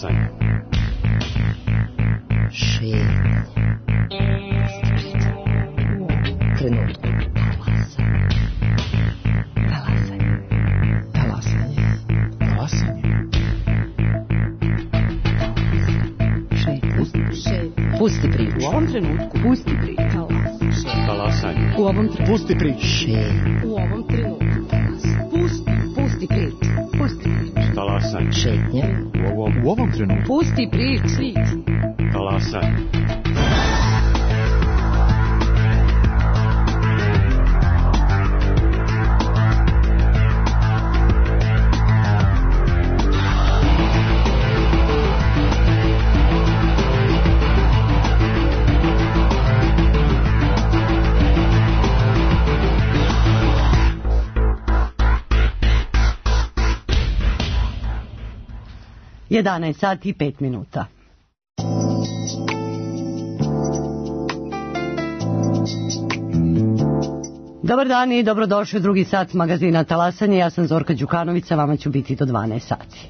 Talasanje. Šetnja. Trenutku. Talasanje. Pusti priču. U ovom trenutku. Pusti priču. Talasanje. U ovom trenutku. Pusti priču. U ovom trenutku. Pusti priču. Pusti priču. Talasanje. Šetnja. U ovom trenutku. Pusti priču. Talasanje. Jedanaest sati i 5 minuta. Dobar dan i dobrodošli u drugi sat magazina Talasanje. Ja sam Zorka Đukanović, a vama ću biti do 12 sati.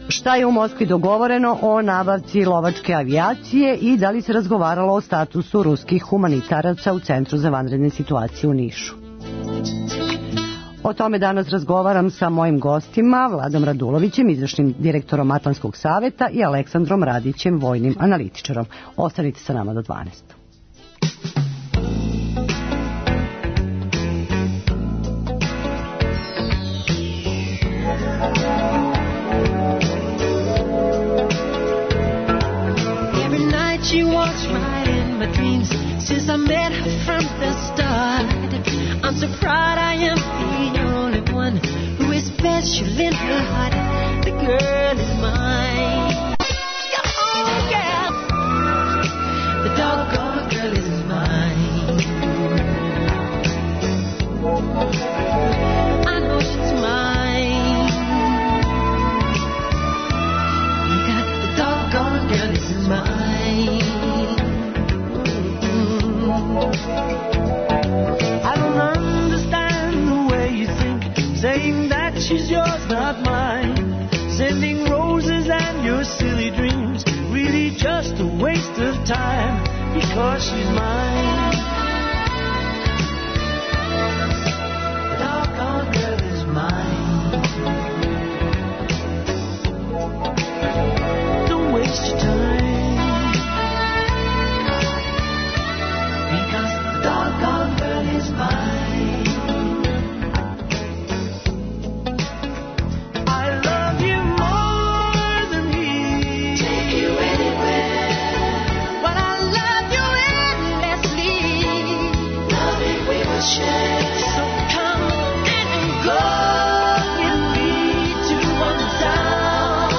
Šta je u Moskvi dogovoreno o nabavci lovačke avijacije i da li se razgovaralo o statusu ruskih humanitaraca u Centru za vanredne situacije u Nišu? O tome danas razgovaram sa mojim gostima, Vladom Radulovićem, izvršnim direktorom Atlantskog saveta, i Aleksandrom Radićem, vojnim analitičarom. Ostanite sa nama do 12. Every night she walks right in my dreams. Since I met her from the start, I'm so proud I am the only one who is special in her heart. The girl is mine. Oh, yeah. The doggone girl is mine. I know she's mine. Because the doggone girl is mine. I don't understand the way you think, saying that she's yours, not mine. Sending roses and your silly dreams, really just a waste of time, because she's mine. The doggone girl is mine. Don't waste your time, because the doggone girl is mine. I love you more than he. Take you anywhere. But I love you endlessly. Loving we will share. So come and go with me to one town.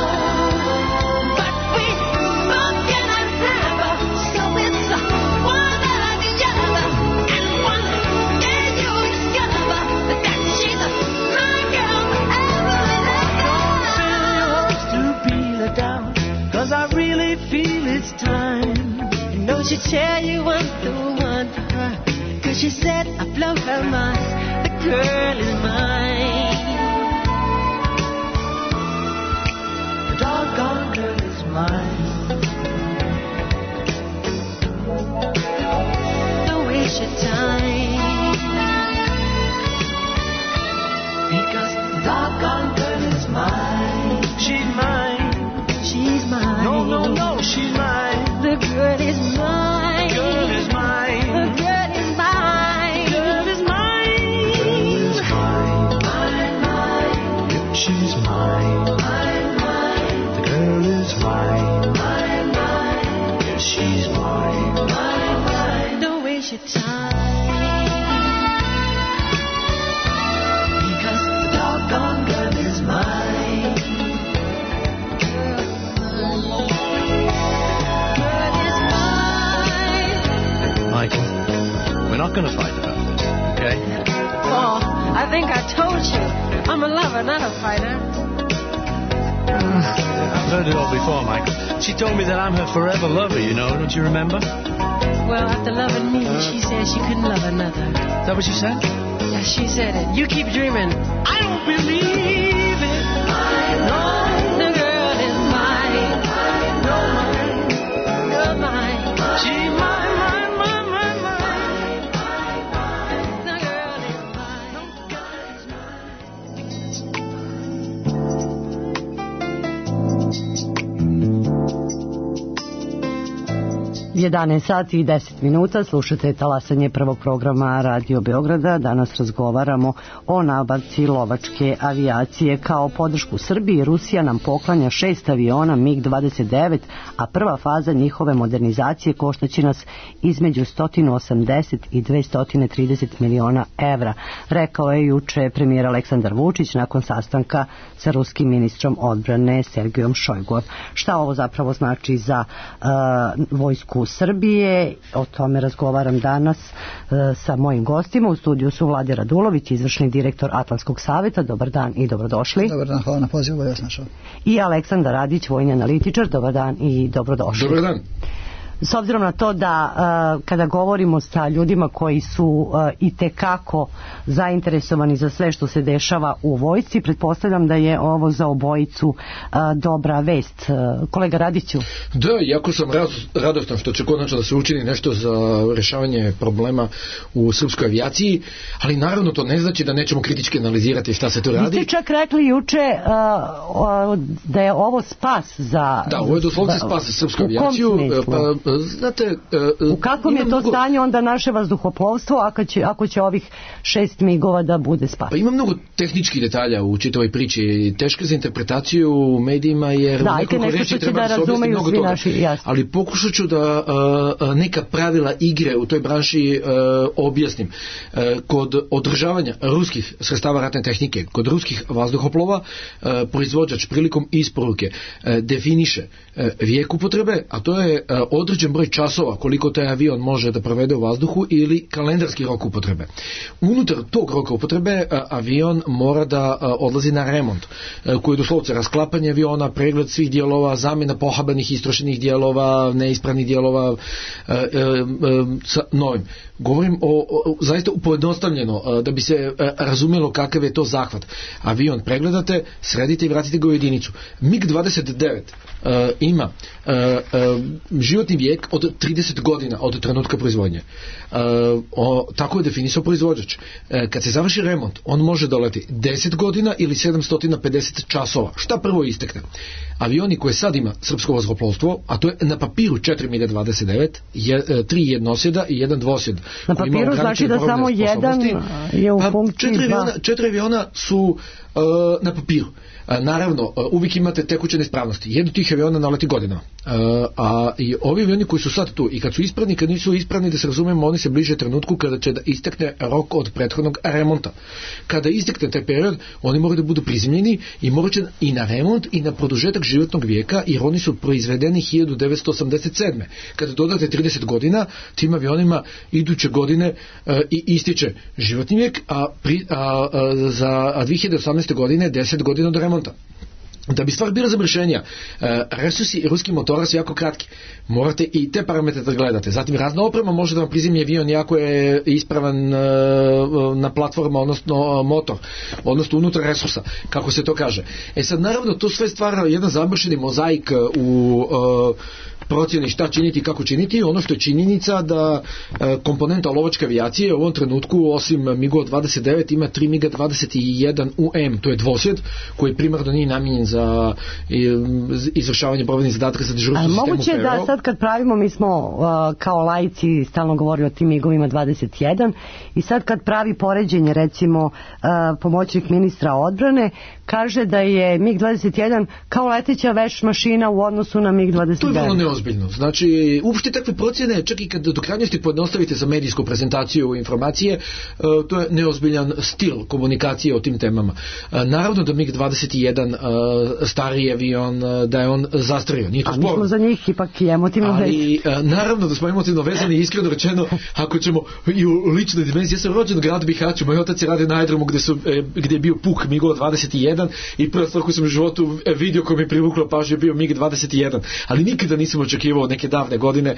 But we both cannot have, so it's one or the other. And one day you'll discover that she's my girl forever and Fill your hopes to peel it down, 'cause I really feel it's time. You know she tell you I'm the one for her, 'cause she said I blow her mind. The girl is mine. The doggone girl is mine. Don't waste your time. Because the doggone girl is mine. She's mine. She's mine. No, no, no, she's mine. The girl is mine. Girl is mine. The girl is mine. Girl is mine. Girl is mine. Mine, mine. Yep, she's mine. Mine, mine. The girl is mine. Mine, mine. Yes, she's mine. Mine, mine. Don't waste your time. Because the doggone girl is mine. Girl is mine. Michael, we're not going to fight about this, okay? Oh, I think I told you. I'm a lover, not a fighter. I've heard it all before, Michael. She told me that I'm her forever lover, you know, don't you remember? Well, after loving me, she said she couldn't love another. Is that what she said? Yeah, she said it. You keep dreaming. I don't believe it. No, the girl is mine. No, mine. You're mine. She's mine, mine, mine, mine, mine. The girl is mine. The girl is mine. 11 sati i 10 minuta, slušate talasanje prvog programa Radio Beograda. Danas razgovaramo o nabavci lovačke avijacije. Kao podršku Srbiji, Rusija nam poklanja 6 aviona MiG-29, a prva faza njihove modernizacije koštaće nas između 180 i 230 miliona evra, rekao je juče premijer Aleksandar Vučić nakon sastanka sa ruskim ministrom odbrane Sergejom Šojguom. Šta ovo zapravo znači za vojsku Srbije? O tome razgovaram danas sa mojim gostima. U studiju su Vlade Radulović, izvršni direktor Atlantskog saveta. Dobar dan i dobrodošli. Dobar dan, hvala na pozivu, ja sam našao. I Aleksandar Radić, vojni analitičar. Dobar dan i dobrodošli. Dobar dan. S obzirom na to da kada govorimo sa ljudima koji su i tekako zainteresovani za sve što se dešava u vojsci, pretpostavljam da je ovo za obojicu dobra vest. Kolega Radiću? Da, jako sam radostan što će konačno da se učini nešto za rješavanje problema u srpskoj avijaciji, ali naravno to ne znači da nećemo kritički analizirati šta se tu radi. Vi ste čak rekli juče da je ovo spas za... Da, ovo je doslovce spas za srpsku avijaciju. Znate, u kakvom je to stanje onda naše vazduhoplovstvo ako će ovih 6 migova da bude spas? Pa ima mnogo tehničkih detalja u čitavoj priči, teške za interpretaciju u medijima, jer nekoliko reći treba da se objasni mnogo toga. Ali pokušat ću da neka pravila igre u toj branši objasnim. Kod održavanja ruskih sredstava ratne tehnike, kod ruskih vazduhoplova, proizvođač prilikom isporuke definiše vijek upotrebe, a to je određen broj časova koliko taj avion može da provede u vazduhu ili kalendarski rok upotrebe. Unutar tog roka upotrebe avion mora da odlazi na remont, koji je doslovce rasklapanje aviona, pregled svih dijelova, zamjena pohabanih istrošenih dijelova, neispravnih dijelova sa novim. Govorim zaista pojednostavljeno da bi se razumjelo kakav je to zahvat. Avion pregledate, sredite i vratite ga u jedinicu. MiG-29 ima životni vijek od 30 godina od trenutka proizvodnje. Tako je definisao proizvođač. Kad se završi remont, on može doleti 10 godina ili 750 časova. Šta prvo istekne? Avioni koje sad ima srpsko vazduhoplovstvo, a to je na papiru 4 MiG-29, 3 jednosjeda i 1 dvosjed. Na papiru znači da samo jedan je u funkciji 4 aviona su na papiru. Naravno, uvijek imate tekuće neispravnosti. Jedno tih aviona naleti godina. A i ovi avioni koji su sad tu i kad su ispravni, kad nisu ispravni, da se razumemo, oni se bliže trenutku kada će da istekne rok od prethodnog remonta. Kada istekne taj period, oni moraju da budu prizemljeni i morat će i na remont i na produžetak životnog vijeka, jer oni su proizvedeni 1987. Kada dodate 30 godina, tim avionima iduće godine i ističe životni vijek, a za 2018. godine 10 godina do remonta. Da bi stvar bila zamršenja, resursi ruskih motora su jako kratki. Morate i te parametre da gledate. Zatim razna oprema može da vam prizemlji avion jako je ispravan na platforma, odnosno motor, odnosno unutar resursa, kako se to kaže. Sad naravno to sve stvara jedan zamršeni mozaik u procjeni šta činiti i kako činiti. Ono što je činjenica da komponenta lovačke avijacije u ovom trenutku osim MiG-29 ima 3 MiG-21 UM, to je dvosjed koji primarno nije namijenjen za izvršavanje borbenih zadatka za dežurstvo sistemu PRO. Moguće da sad kad pravimo, mi smo kao laici stalno govorili o tim MiG-ovima 21 i sad kad pravi poređenje, recimo pomoćnik ministra odbrane kaže da je MiG-21 kao leteća veš mašina u odnosu na MiG-29. To je vrlo neozbiljno. Znači, uopšte takve procjene, čak i kad do krajnosti pojednostavite za medijsku prezentaciju informacije, to je neozbiljan stil komunikacije o tim temama. Naravno da MiG-21 stariji avion, da je on zastario. Nije to sporno. A mi smo za njih ipak i emotivno vezani. Ali naravno da smo emotivno vezani, iskreno rečeno, ako ćemo i u ličnoj dimenziji. Ja sam rođen u gradu Bihaću, moj otac je radio na aerodromu gdje je bio puk MiG-21 i prva stvar koju sam u životu vidio koja mi je privukla pažnju je bio MiG-21, ali nikada nisam očekivao neke davne godine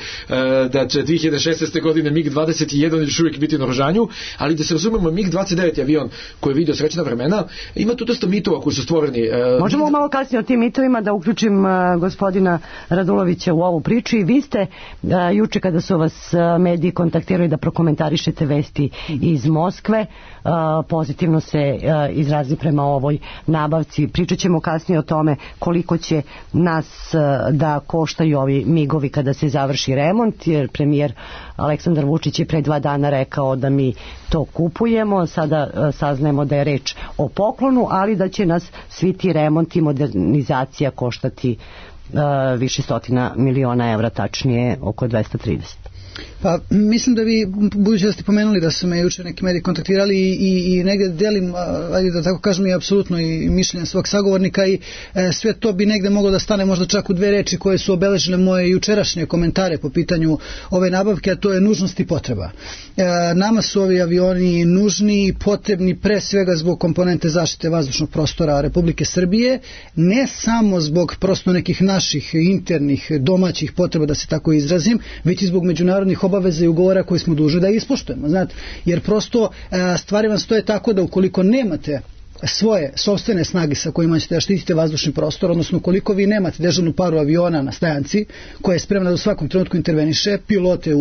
da će 2016. godine MiG-21 još uvijek biti na oružanju, ali da se razumemo, MiG-29 je avion koji je vidio srećna vremena. Ima tu dosta mitova koji su stvoreni. Možemo malo kasnije o tim mitovima da uključim gospodina Radulovića u ovu priču. I vi ste juče kada su vas mediji kontaktirali da prokomentarišete vesti iz Moskve, pozitivno se izrazi prema ovoj nabavci. Pričat ćemo kasnije o tome koliko će nas da koštaju ovi migovi kada se završi remont, jer premijer Aleksandar Vučić je pre 2 dana rekao da mi to kupujemo. Sada saznajemo da je reč o poklonu, ali da će nas svi ti remonti i modernizacija koštati više stotina miliona evra, tačnije oko 230. Pa mislim da vi, budući da ste pomenuli da su me juče neki mediji kontaktirali i negdje delim, ajde da tako kažem, i apsolutno i mišljenje svog sagovornika i sve to bi negdje moglo da stane možda čak u 2 reči koje su obeležile moje jučerašnje komentare po pitanju ove nabavke, a to je nužnost i potreba. Nama su ovi avioni nužni i potrebni pre svega zbog komponente zaštite vazdušnog prostora Republike Srbije, ne samo zbog prosto nekih naših internih domaćih potreba, da se tako izrazim, već i zbog međunarodnih obaveza i ugovora koje smo dužni da ispoštujemo, znate, jer prosto stvari vam stoje tako da ukoliko nemate svoje sopstvene snage sa kojima ćete da štitite vazdušni prostor, odnosno koliko vi nemate dežurnu paru aviona na stajanci koja je spremna da u svakom trenutku interveniše, pilote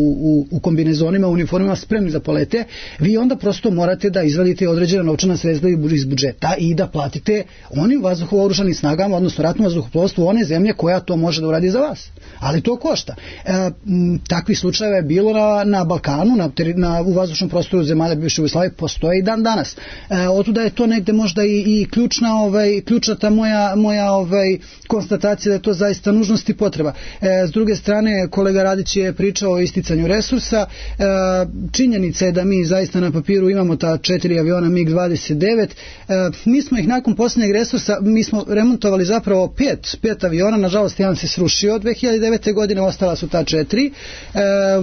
u kombinezonima, u uniformima spremni za polete, vi onda prosto morate da izvadite određena novčana sredstva iz budžeta i da platite onim vazduhovo-oružanim snagama, odnosno ratnom vazduhoplovstvu one zemlje koja to može da uradi za vas. Ali to košta. Takvih slučajeva je bilo na Balkanu, u vazdušnom prostoru zemalja bivše Jugoslavije, postoje i dan danas. Otuda je to negde možda i ključna ta moja konstatacija da je to zaista nužnost i potreba. S druge strane, kolega Radić je pričao o isticanju resursa. Činjenica je da mi zaista na papiru imamo ta 4 aviona MiG-29. Mi smo ih nakon posljednjeg resursa, mi smo remontovali zapravo 5 aviona, nažalost jedan se srušio od 2009. godine, ostala su ta 4.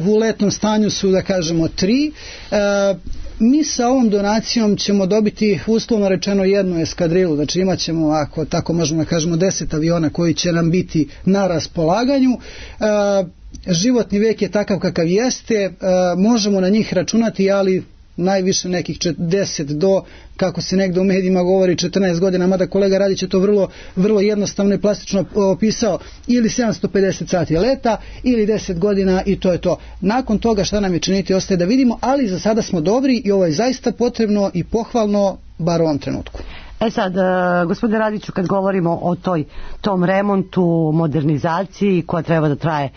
U letnom stanju su, da kažemo, 3. Mi sa ovom donacijom ćemo dobiti uslovno rečeno jednu eskadrilu, znači imat ćemo, ako tako možemo da kažemo, 10 aviona koji će nam biti na raspolaganju. Životni vijek je takav kakav jeste, možemo na njih računati, ali najviše nekih 10 do, kako se negdje u medijima govori, 14 godina, mada kolega Radić je to vrlo jednostavno i plastično opisao, ili 750 sati leta, ili 10 godina i to je to. Nakon toga šta nam je činiti ostaje da vidimo, ali za sada smo dobri i ovo je zaista potrebno i pohvalno, bar u ovom trenutku. Sad, gospodine Radiću, kad govorimo o tom remontu, modernizaciji koja treba da traje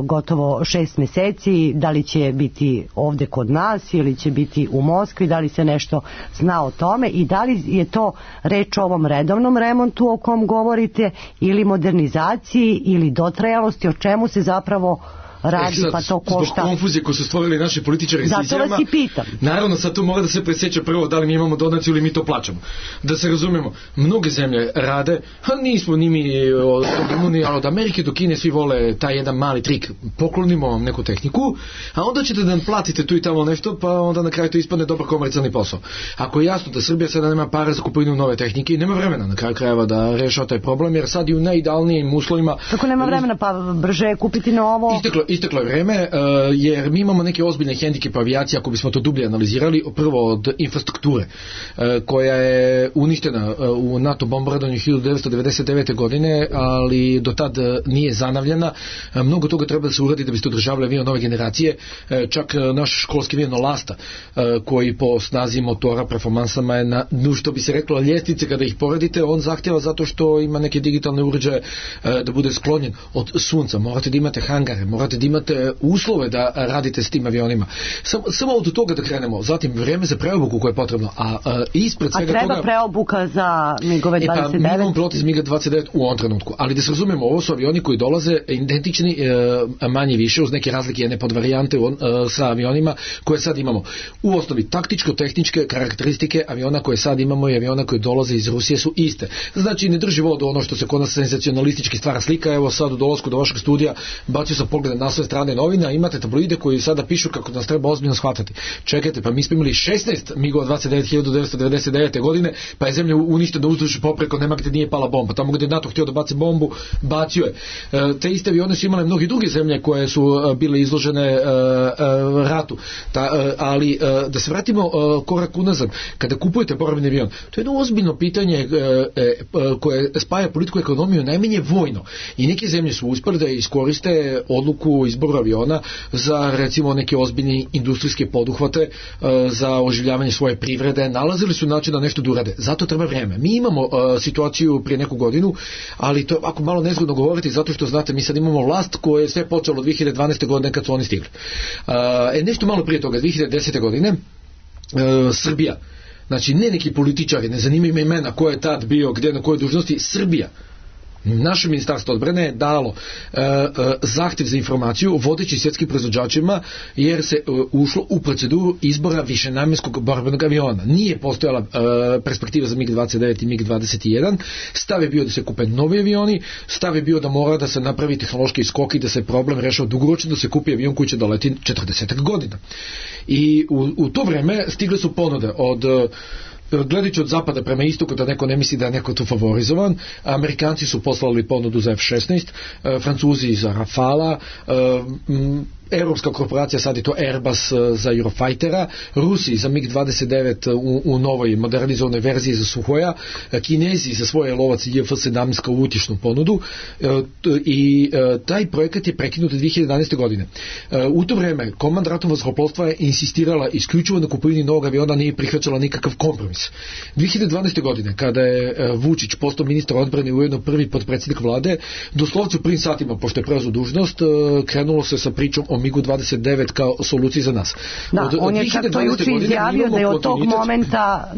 gotovo 6 mjeseci, da li će biti ovdje kod nas ili će biti u Moskvi, da li se nešto zna o tome i da li je to reč o ovom redovnom remontu o kom govorite ili modernizaciji ili dotrajalosti, o čemu se zapravo radi, sad, pa to košta. Zbog konfuzije koje su stvorili naši političari s izjavama. Zato vas i pitam. Naravno, sad tu mora da se presjeća prvo da li mi imamo donaciju ili mi to plaćamo. Da se razumemo, mnoge zemlje rade, nismo ni mi od Rumunije, ali od Amerike do Kine svi vole taj jedan mali trik, poklonimo vam neku tehniku, a onda ćete da nam platite tu i tamo nešto, pa onda na kraju to ispadne dobar komercijalni posao. Ako je jasno da Srbija sada nema para za kupovinu nove tehnike i nema vremena na kraju krajeva da rešava taj problem, jer sad i u najidealnijim uslovima. Kako nema vremena, pa brže kupiti novo? Isteklo je vreme, jer mi imamo neke ozbiljne hendikepe avijacije, ako bismo to dublje analizirali, prvo od infrastrukture, koja je uništena u NATO bombardovanju 1999. godine, ali do tad nije zanavljena. Mnogo toga treba da se uradi da biste održavali avion nove generacije, čak naš školski avion Lasta, koji po snazi motora, performansama je na, što bi se reklo, ljestvice kada ih poredite, on zahtjeva zato što ima neke digitalne uređaje da bude sklonjen od sunca. Morate da imate hangare, morate da imate uslove da radite s tim avionima. Samo od toga da krenemo, zatim vreme za preobuku koje je potrebno, a ispred svega toga... A treba preobuka za MiG-ove 29? Pa mi imamo piloti za MiG 29 u ovom trenutku, ali da se razumemo, ovo su avioni koji dolaze identični, manje više, uz neke razlike, jedne podvarijante sa avionima koje sad imamo. U osnovi, taktičko-tehničke karakteristike aviona koje sad imamo i aviona koji dolaze iz Rusije su iste. Znači, ne drži vodu ono što se kod nas senzacionalistički stvara slika. Evo sad u dolasku do vašeg studija bacio sam pogled na naslovne strane novina, imate tabloide koji sada pišu kako nas treba ozbiljno shvatati. Čekajte, pa mi smo imali 16 MiG-ova 29 1999. godine, pa je zemlja uništena uzduž popreko, nema gde nije pala bomba. Tamo gde je NATO htio da baci bombu, bacio je. Te iste avione su imale mnogi druge zemlje koje su bile izložene ratu. Ali da se vratimo korak unazad, kada kupujete borbeni avion, to je jedno ozbiljno pitanje koje spaja politiku i ekonomiju najmanje vojno. I neke zemlje su uspjeli da iskoriste odluku izboru aviona za recimo neke ozbiljne industrijske poduhvate, za oživljavanje svoje privrede, nalazili su način da nešto da urade. Zato treba vreme. Mi imamo situaciju prije neku godinu, ali to je ovako malo nezgodno govoriti zato što znate, mi sad imamo vlast koja je sve počelo od 2012. godine kad su oni stigli. Nešto malo prije toga, 2010. godine, Srbija, znači ne neki političari, ne zanimaju me imena ko je tad bio, gdje, na kojoj dužnosti, Srbija, naše ministarstvo odbrane je dalo zahtjev za informaciju vodeći svjetskim proizvođačima jer se ušlo u proceduru izbora višenamjenskog borbenog aviona. Nije postojala perspektiva za MiG-29 i MiG-21. Stav je bio da se kupe novi avioni, stav je bio da mora da se napravi tehnološki skok i da se problem rešava dugoročno, da se kupi avion koji će doleti 40 godina. I u to vreme stigle su ponude od gledajući od zapada prema istoku, da neko ne misli da je neko tu favorizovan. Amerikanci su poslali ponudu za F-16, Francuzi za Rafala, Europska korporacija, sad je to Airbus za Eurofightera, Rusi za MiG-29 u novoj modernizovanoj verziji za Suhoja, Kinezi za svoje lovac JF-17 kao utješnu ponudu i taj projekat je prekinut 2011. godine. U to vreme Komand ratnog zrakoplovstva je insistirala isključivo na kupovini novog aviona, nije prihvaćala nikakav kompromis. 2012. godine, kada je Vučić postao ministar odbrane i ujedno prvi potpredsjednik vlade, doslovce u prvim satima, pošto je preuzeo dužnost, krenulo se sa pričom o MiG-29 kao soluciji za nas. Da, on je čak to juče izjavio da je od tog momenta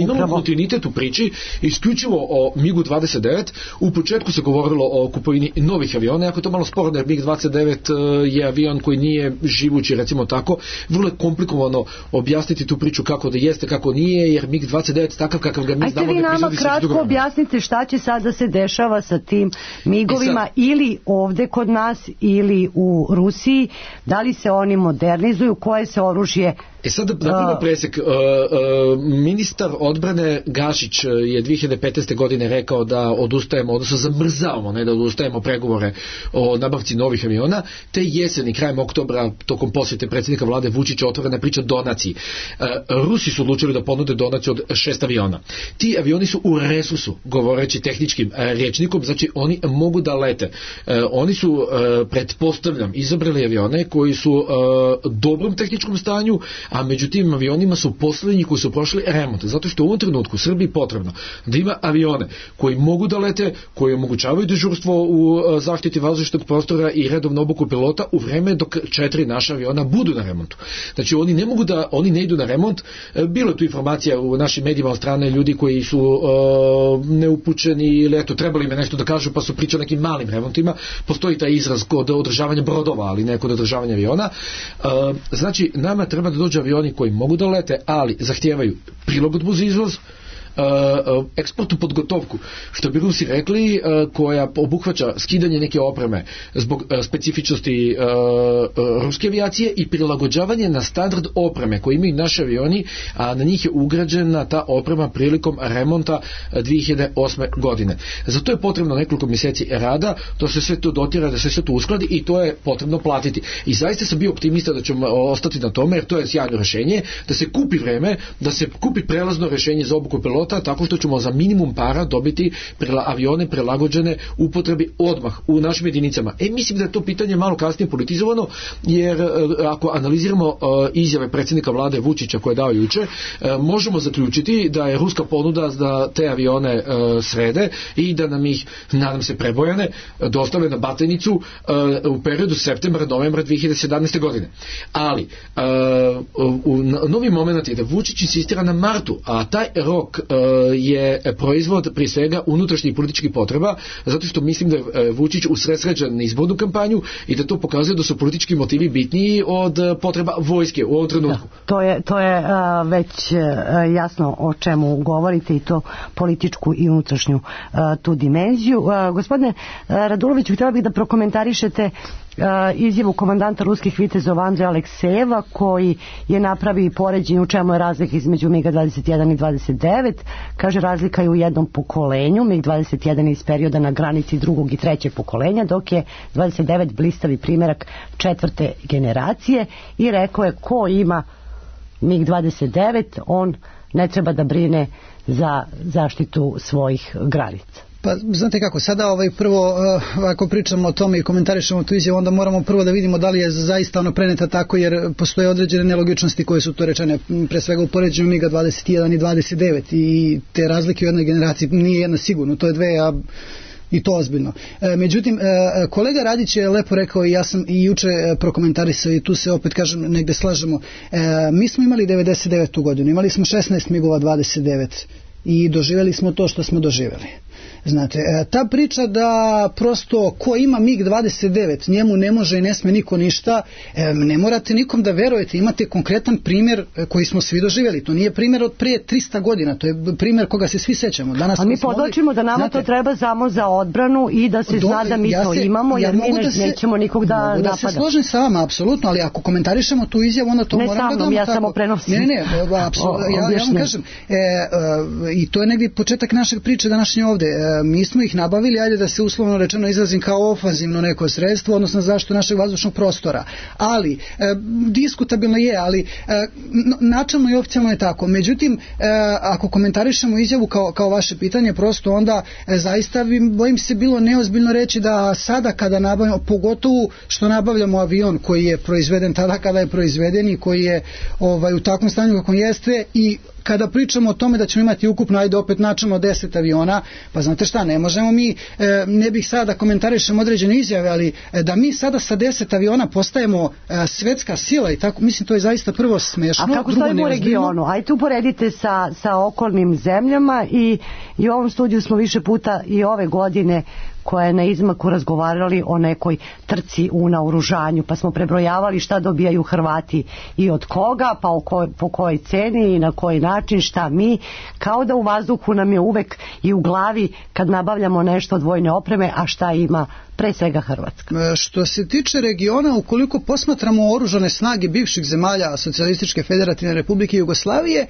imamo kontinuitet u priči isključivo o MiG-29. U početku se govorilo o kupovini novih aviona, jako to malo sporno jer MiG-29 je avion koji nije živući, recimo tako, vrlo je komplikovano objasniti tu priču kako da jeste, kako nije, jer MiG-29 takav kakav ga mi znamo. Ajte vi nama kratko objasnite šta će sad da se dešava sa tim MiG-ovima ili ovde kod nas ili u Rusiji, da li se oni modernizuju, koje se oružje... Sad da prvo presek, ministar odbrane Gašić je 2015. godine rekao da odustajemo, odnosno zamrzavamo, ne da odustajemo pregovore o nabavci novih aviona, te jeseni, krajem oktobra, tokom posjete predsjednika vlade Vučića otvorena priča donaciji. Rusi su odlučili da ponude donaciju od 6 aviona. Ti avioni su u resursu, govoreći tehničkim rječnikom, znači oni mogu da lete. Oni su, pretpostavljam, izabrali avione koji su u dobrom tehničkom stanju, a među tim avionima su posljednji koji su prošli remont, zato što u ovom trenutku Srbiji potrebno da ima avione koji mogu da lete, koji omogućavaju dežurstvo u zaštiti vazdušnog prostora i redovnu obuku pilota u vreme dok 4 naša aviona budu na remontu. Znači oni ne idu na remont. Bilo je tu informacija u našim medijima od strane ljudi koji su neupućeni ili eto trebali me nešto da kažu pa su pričali o nekim malim remontima. Postoji taj izraz kod održavanja brodova, ali ne kod održavanja aviona. Znači nama treba da dođe avioni koji mogu da lete, ali zahtijevaju prilagodbu za izvoz, eksportnu podgotovku, što bi Rusi rekli, koja obuhvaća skidanje neke opreme zbog specifičnosti ruske avijacije i prilagođavanje na standard opreme koji imaju naši avioni, a na njih je ugrađena ta oprema prilikom remonta 2008. godine. Zato je potrebno nekoliko mjeseci rada, to se sve to dotira, da se sve to uskladi i to je potrebno platiti. I zaista sam bio optimista da ćemo ostati na tome, jer to je sjajno rješenje, da se kupi vreme, da se kupi prelazno rješenje za obuku pilota, tako što ćemo za minimum para dobiti avione prilagođene upotrebi odmah u našim jedinicama. Mislim da je to pitanje malo kasnije politizovano, jer ako analiziramo izjave predsjednika vlade Vučića koje je dao juče, možemo zaključiti da je ruska ponuda da te avione srede i da nam ih, nadam se prebojane, dostave na Batajnicu u periodu septembra-novembra 2017. godine. Ali novi moment je da Vučić insistira na martu, a taj rok je proizvod prije svega unutrašnjih političkih potreba, zato što mislim da je Vučić usredsređen na izbornu kampanju i da to pokazuje da su politički motivi bitniji od potreba vojske u ovom trenutku. To je već jasno o čemu govorite i to političku i unutrašnju tu dimenziju. Gospodine Raduloviću, htjela bih da prokomentarišete izjavu komandanta ruskih vitezova Andreja Aleksejeva, koji je napravi poređenje u čemu je razlika između MiG-21 i 29. Kaže, razlika je u jednom pokolenju. MiG-21 je iz perioda na granici drugog i trećeg pokolenja, dok je 29 blistavi primjerak četvrte generacije, i rekao je, ko ima MiG-29, on ne treba da brine za zaštitu svojih granica. Pa znate kako, sada prvo ako pričamo o tome i komentarišemo tu izjavu, onda moramo prvo da vidimo da li je zaista ono preneta tako, jer postoje određene nelogičnosti koje su to rečene, pre svega u poređenju MiG-a 21 i 29, i te razlike u jednoj generaciji nije jedna sigurno, to je dve, a i to ozbiljno. Međutim, kolega Radić je lepo rekao, i ja sam i juče prokomentarisao, i tu se opet kažem negde slažemo, mi smo imali 99. godinu, imali smo 16 MiG-ova 29 i doživjeli smo to što smo doživjeli. Znate, ta priča da prosto ko ima MiG-29 njemu ne može i ne sme niko ništa, ne morate nikom da verujete, imate konkretan primjer koji smo svi doživjeli, to nije primjer od prije 300 godina, to je primjer koga se svi sećamo. Danas a mi podočimo da nama znate, to treba samo za odbranu i da se zna da mi to imamo, jer mi nećemo nikog da napada. Da se složim sa vama, apsolutno, ali ako komentarišemo tu izjavu, onda to moramo da damo ja tako. Samo prenosim. Ne, apsolutno, ja vam kažem, i to je negdje početak našeg priče današnje ovde. Mi smo ih nabavili, ajde da se uslovno rečeno izrazim, kao ofanzivno neko sredstvo, odnosno zaštitu našeg vazdušnog prostora. Ali, diskutabilno je, ali načelno i oficijalno je tako. Međutim, ako komentarišemo izjavu kao vaše pitanje, prosto onda zaista bojim se bilo neozbiljno reći da sada kada nabavljamo, pogotovo što nabavljamo avion koji je proizveden tada kada je proizveden i koji je u takvom stanju kako jeste, i kada pričamo o tome da ćemo imati ukupno, ajde opet načelno 10 aviona, pa znate šta, ne možemo mi, ne bih sada da komentarišem određene izjave, ali da mi sada sa 10 aviona postajemo svetska sila i tako, mislim, to je zaista prvo smešno. A kako stojimo u regionu? Ajde uporedite sa okolnim zemljama, i u ovom studiju smo više puta i ove godine koja je na izmaku razgovarali o nekoj trci u naoružanju, pa smo prebrojavali šta dobijaju Hrvati i od koga, pa po kojoj ceni i na koji način, šta mi, kao da u vazduhu nam je uvek i u glavi kad nabavljamo nešto od vojne opreme, a šta ima pre svega Hrvatska. Što se tiče regiona, ukoliko posmatramo oružane snage bivših zemalja Socijalističke federativne republike Jugoslavije,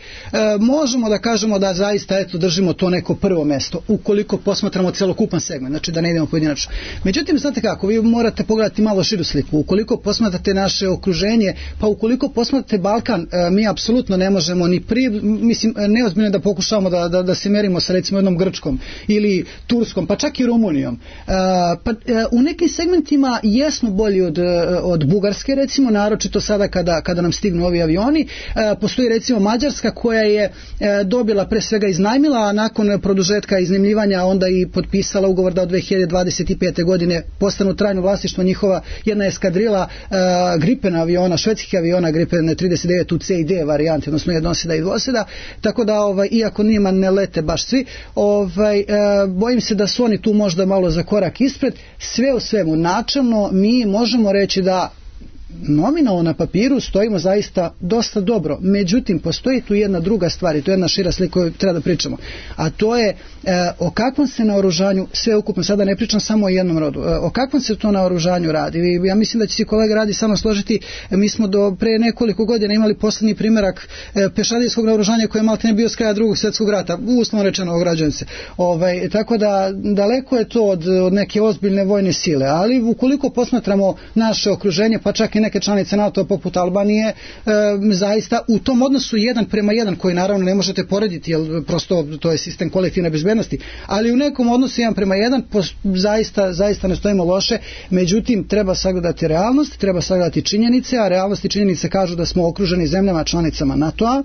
možemo da kažemo da zaista držimo to neko prvo mesto, ukoliko posmatramo celokupan segment, znači da ne idemo pojedinačno. Međutim, znate kako, vi morate pogledati malo širu sliku. Ukoliko posmatrate naše okruženje, pa ukoliko posmatrate Balkan, mi apsolutno ne možemo mislim, neozbiljno da pokušavamo da se merimo sa recimo jednom Grčkom ili Turskom, pa čak i Rumunijom. U nekim segmentima jesmo bolji od Bugarske, recimo, naročito sada kada nam stignu ovi avioni. Postoji recimo Mađarska koja je dobila, pre svega iznajmila, a nakon produžetka iznajmljivanja onda i potpisala ugovor da od 2025. godine postanu trajno vlasništvo njihova jedna eskadrila Gripen aviona, švedskih aviona Gripen 39 u C i D varijanti, odnosno jednoseda i dvoseda, tako da iako njima ne lete baš svi, bojim se da su oni tu možda malo za korak ispred. Sve u svemu, načelno mi možemo reći da nominalno na papiru stojimo zaista dosta dobro. Međutim, postoji tu jedna druga stvar i to je jedna šira slika koju treba da pričamo. A to je o kakvom se naoružanju, sve ukupno, sada ne pričam samo o jednom rodu, o kakvom se to naoružanju radi. Ja mislim da će si kolega Radi samo složiti, mi smo do pre nekoliko godina imali poslednji primjerak pešadijskog naoružanja koje je malte ne bio s kraja drugog svjetskog rata, uslovno rečeno ograđujem se. Tako da daleko je to od neke ozbiljne vojne sile, ali ukoliko posmatramo naše okruženje, pa čak i neke članice NATO poput Albanije, zaista u tom odnosu 1:1, koji naravno ne možete porediti, jer prosto to je sistem kolektivne bezbednosti, ali u nekom odnosu 1:1 zaista ne stojimo loše. Međutim, treba sagledati realnost, treba sagledati činjenice, a realnost i činjenice kažu da smo okruženi zemljama članicama NATO-a,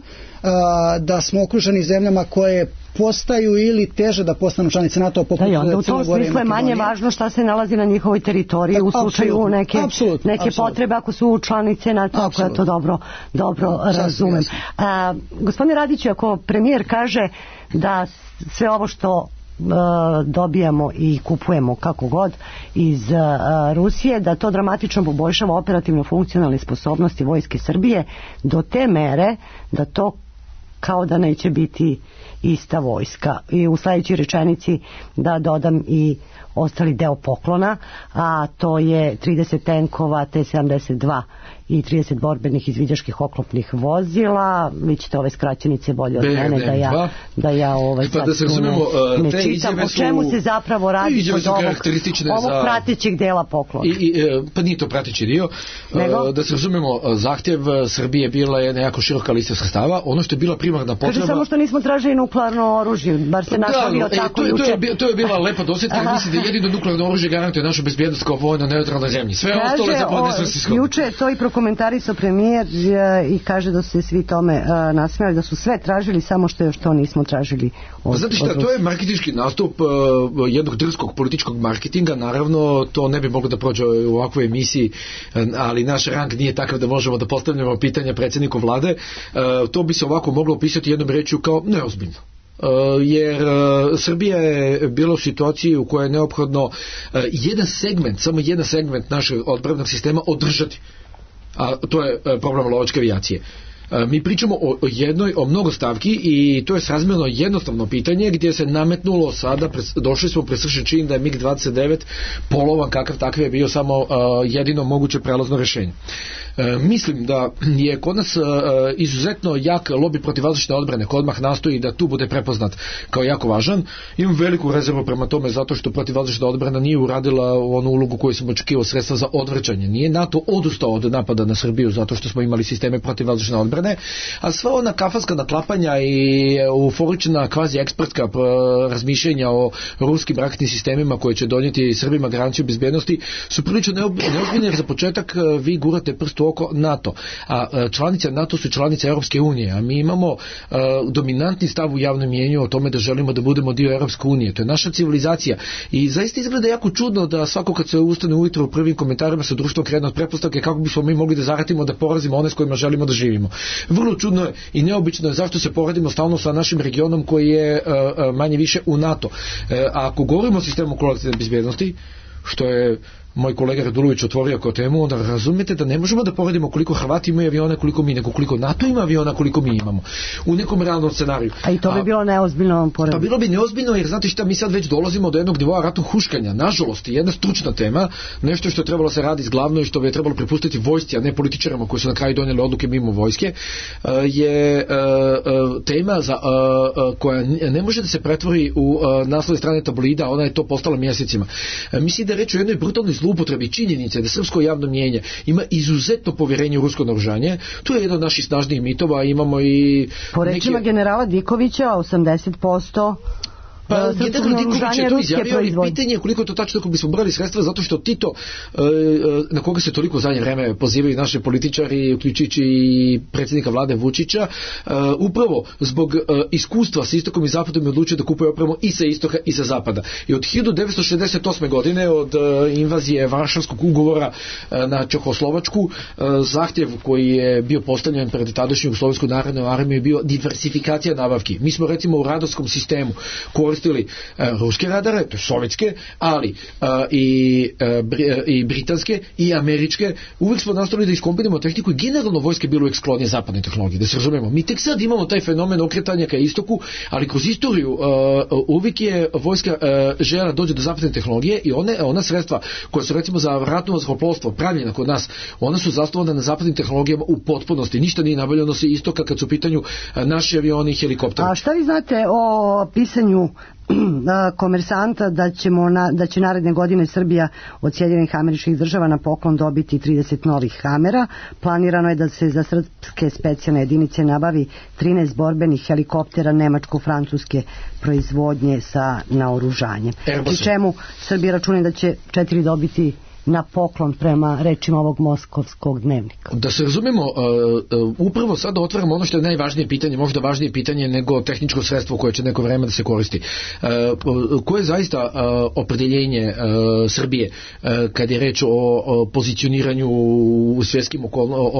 da smo okruženi zemljama koje postaju ili teže da postanu članice NATO poput Crne Gore i Makedonije. U tom smislu je manje važno šta se nalazi na njihovoj teritoriji u slučaju neke potrebe ako su članice NATO, ako ja to dobro razumem. Gospodine Radiću, ako premijer kaže da sve ovo što dobijamo i kupujemo kako god iz Rusije, da to dramatično poboljšava operativno funkcionalne sposobnosti Vojske Srbije do te mere da to kao da neće biti ista vojska. I u sledećoj rečenici da dodam i ostali deo poklona, a to je 30 tenkova T-72 i 30 borbenih izviđačkih oklopnih vozila. Vi ćete ove skraćenice bolje od mene da ja sad da se razumemo, ne čitam. O čemu se zapravo radi kod ovog pratećeg dela poklona? Pa nije to prateći dio. Da se razumemo, zahtjev Srbije bila je jako široka lista sredstava. Ono što je bila primarna potreba... Kaže samo što nismo tražili nuklearno oružje, bar se našalio tako juče. To je bila lepa dosjetka, jer mislim da jedino nuklearno oružje garantuje našu bezbjednost kao vojna neutralna zemlji. Sve ostalo je zapravo nesvrsishodno. Juče to i prokomentarisao premijer i kaže da su se svi tome nasmijali, da su sve tražili, samo što još to nismo tražili od Znate šta, to je marketinški nastup jednog drskog političkog marketinga. Naravno, to ne bi moglo da prođe u ovakvoj emisiji, ali naš rang nije takav da možemo da postavljamo pitanja predsjedniku vlade. To bi se ovako moglo opisati jednom rečju kao neozbiljno. Jer Srbija je bila u situaciji u kojoj je neophodno samo jedan segment našeg odbrambenog sistema održati. A to je problem lovačke avijacije. Mi pričamo o mnogo stavki i to je srazmjerno jednostavno pitanje gdje se nametnulo sada, došli smo presršen čin da je MiG-29 polovan kakav takav je bio samo jedino moguće prelazno rješenje. Mislim da je kod nas izuzetno jak lobby protivvazdušne odbrane koji odmah nastoji da tu bude prepoznat kao jako važan. Imam veliku rezervu prema tome zato što protivvazdušna odbrana nije uradila onu ulogu koju sam očekivao, sredstva za odvrćanje. Nije NATO odustao od napada na Srbiju zato što smo imali sisteme protivvazdušne odbrane, a sva ona kafanska naklapanja i euforična kvazi ekspertska razmišljenja o ruskim raketnim sistemima koje će donijeti Srbima garanciju bezbjednosti su prilično neozbiljne, jer za početak vi gurate prst u oko NATO, a članice NATO su članice Europske unije, a mi imamo dominantni stav u javnom mnijenju o tome da želimo da budemo dio Europske unije. To je naša civilizacija i zaista izgleda jako čudno da svako kad se ustane ujutro u prvim komentarima sa društvom krene od pretpostavke kako bismo mi mogli da zaratimo, da porazimo one s kojima želimo da živimo. Vrlo čudno je i neobično je zašto se poredimo stalno sa našim regionom koji je manje više u NATO. A ako govorimo o sistemu kolektivne bezbjednosti, što je moj kolega Radulović otvorio kao temu, onda razumijete da ne možemo da poredimo koliko Hrvati imaju aviona koliko mi, nego koliko NATO ima aviona koliko mi imamo. U nekom realnom scenariju. A i to bi bilo neozbiljno porediti. Pa bilo bi neozbiljno, jer znate šta, mi sad već dolazimo do jednog nivoa ratnog huškanja. Nažalost, jedna stručna tema, nešto što je trebalo se raditi zglavno i što bi je trebalo prepustiti vojsci, a ne političarima koji su na kraju donijeli odluke mimo vojske, je tema koja ne može da se pretvori u naslovne strane tabloida, ona je to postala mjesecima. Mislim da je reč o jednoj brutalnoj zloupotrebi činjenice da srpsko javno mnijenje ima izuzetno povjerenje u rusko naoružanje. To je jedan od naših snažnijih mitova. Imamo i po rečima generala Dikovića 80% Pa general Diković je to izjavio i pitanje je koliko to tačno ako bismo brali sredstva, zato što Tito, na koga se toliko zadnje vreme pozivaju naši političari, uključujući i predsjednika vlade Vučića, upravo zbog iskustva sa istokom i zapadom je odlučio da kupuje opremu i sa istoka i sa zapada. I od 1968. godine, od invazije Varšavskog ugovora na Čehoslovačku, zahtjev koji je bio postavljen pred tadašnju Jugoslovensku narodnu armiju je bio diversifikacija nabavki. Mi smo recimo u radarskom sistemu koristili ruske radare, to je sovjetske, ali i britanske i američke. Uvijek smo nastavili da iskombinimo tehniku i generalno vojske bilo uvijek sklonije zapadne tehnologije, da se razumemo. Mi tek sad imamo taj fenomen okretanja ka istoku, ali kroz istoriju uvijek je vojska željela dođe do zapadne tehnologije i ona sredstva koja su recimo za ratno vazduhoplovstvo pravljena kod nas, ona su zasnovana na zapadnim tehnologijama u potpunosti. Ništa nije nabavljeno sa istoka kad su u pitanju naši avioni i helikopteri. A šta vi znate o pisanju Komersanta da će naredne godine Srbija od Sjedinjenih Američkih Država na poklon dobiti 30 novih Hamera. Planirano je da se za srpske specijalne jedinice nabavi 13 borbenih helikoptera nemačko-francuske proizvodnje sa naoružanjem. Pri čemu Srbija računa da će 4 dobiti na poklon prema rečima ovog moskovskog dnevnika. Da se razumemo, upravo sada otvaramo ono što je najvažnije pitanje, možda važnije pitanje nego tehničko sredstvo koje će neko vreme da se koristi. Koje je zaista opredeljenje Srbije kad je reč o pozicioniranju u svjetskim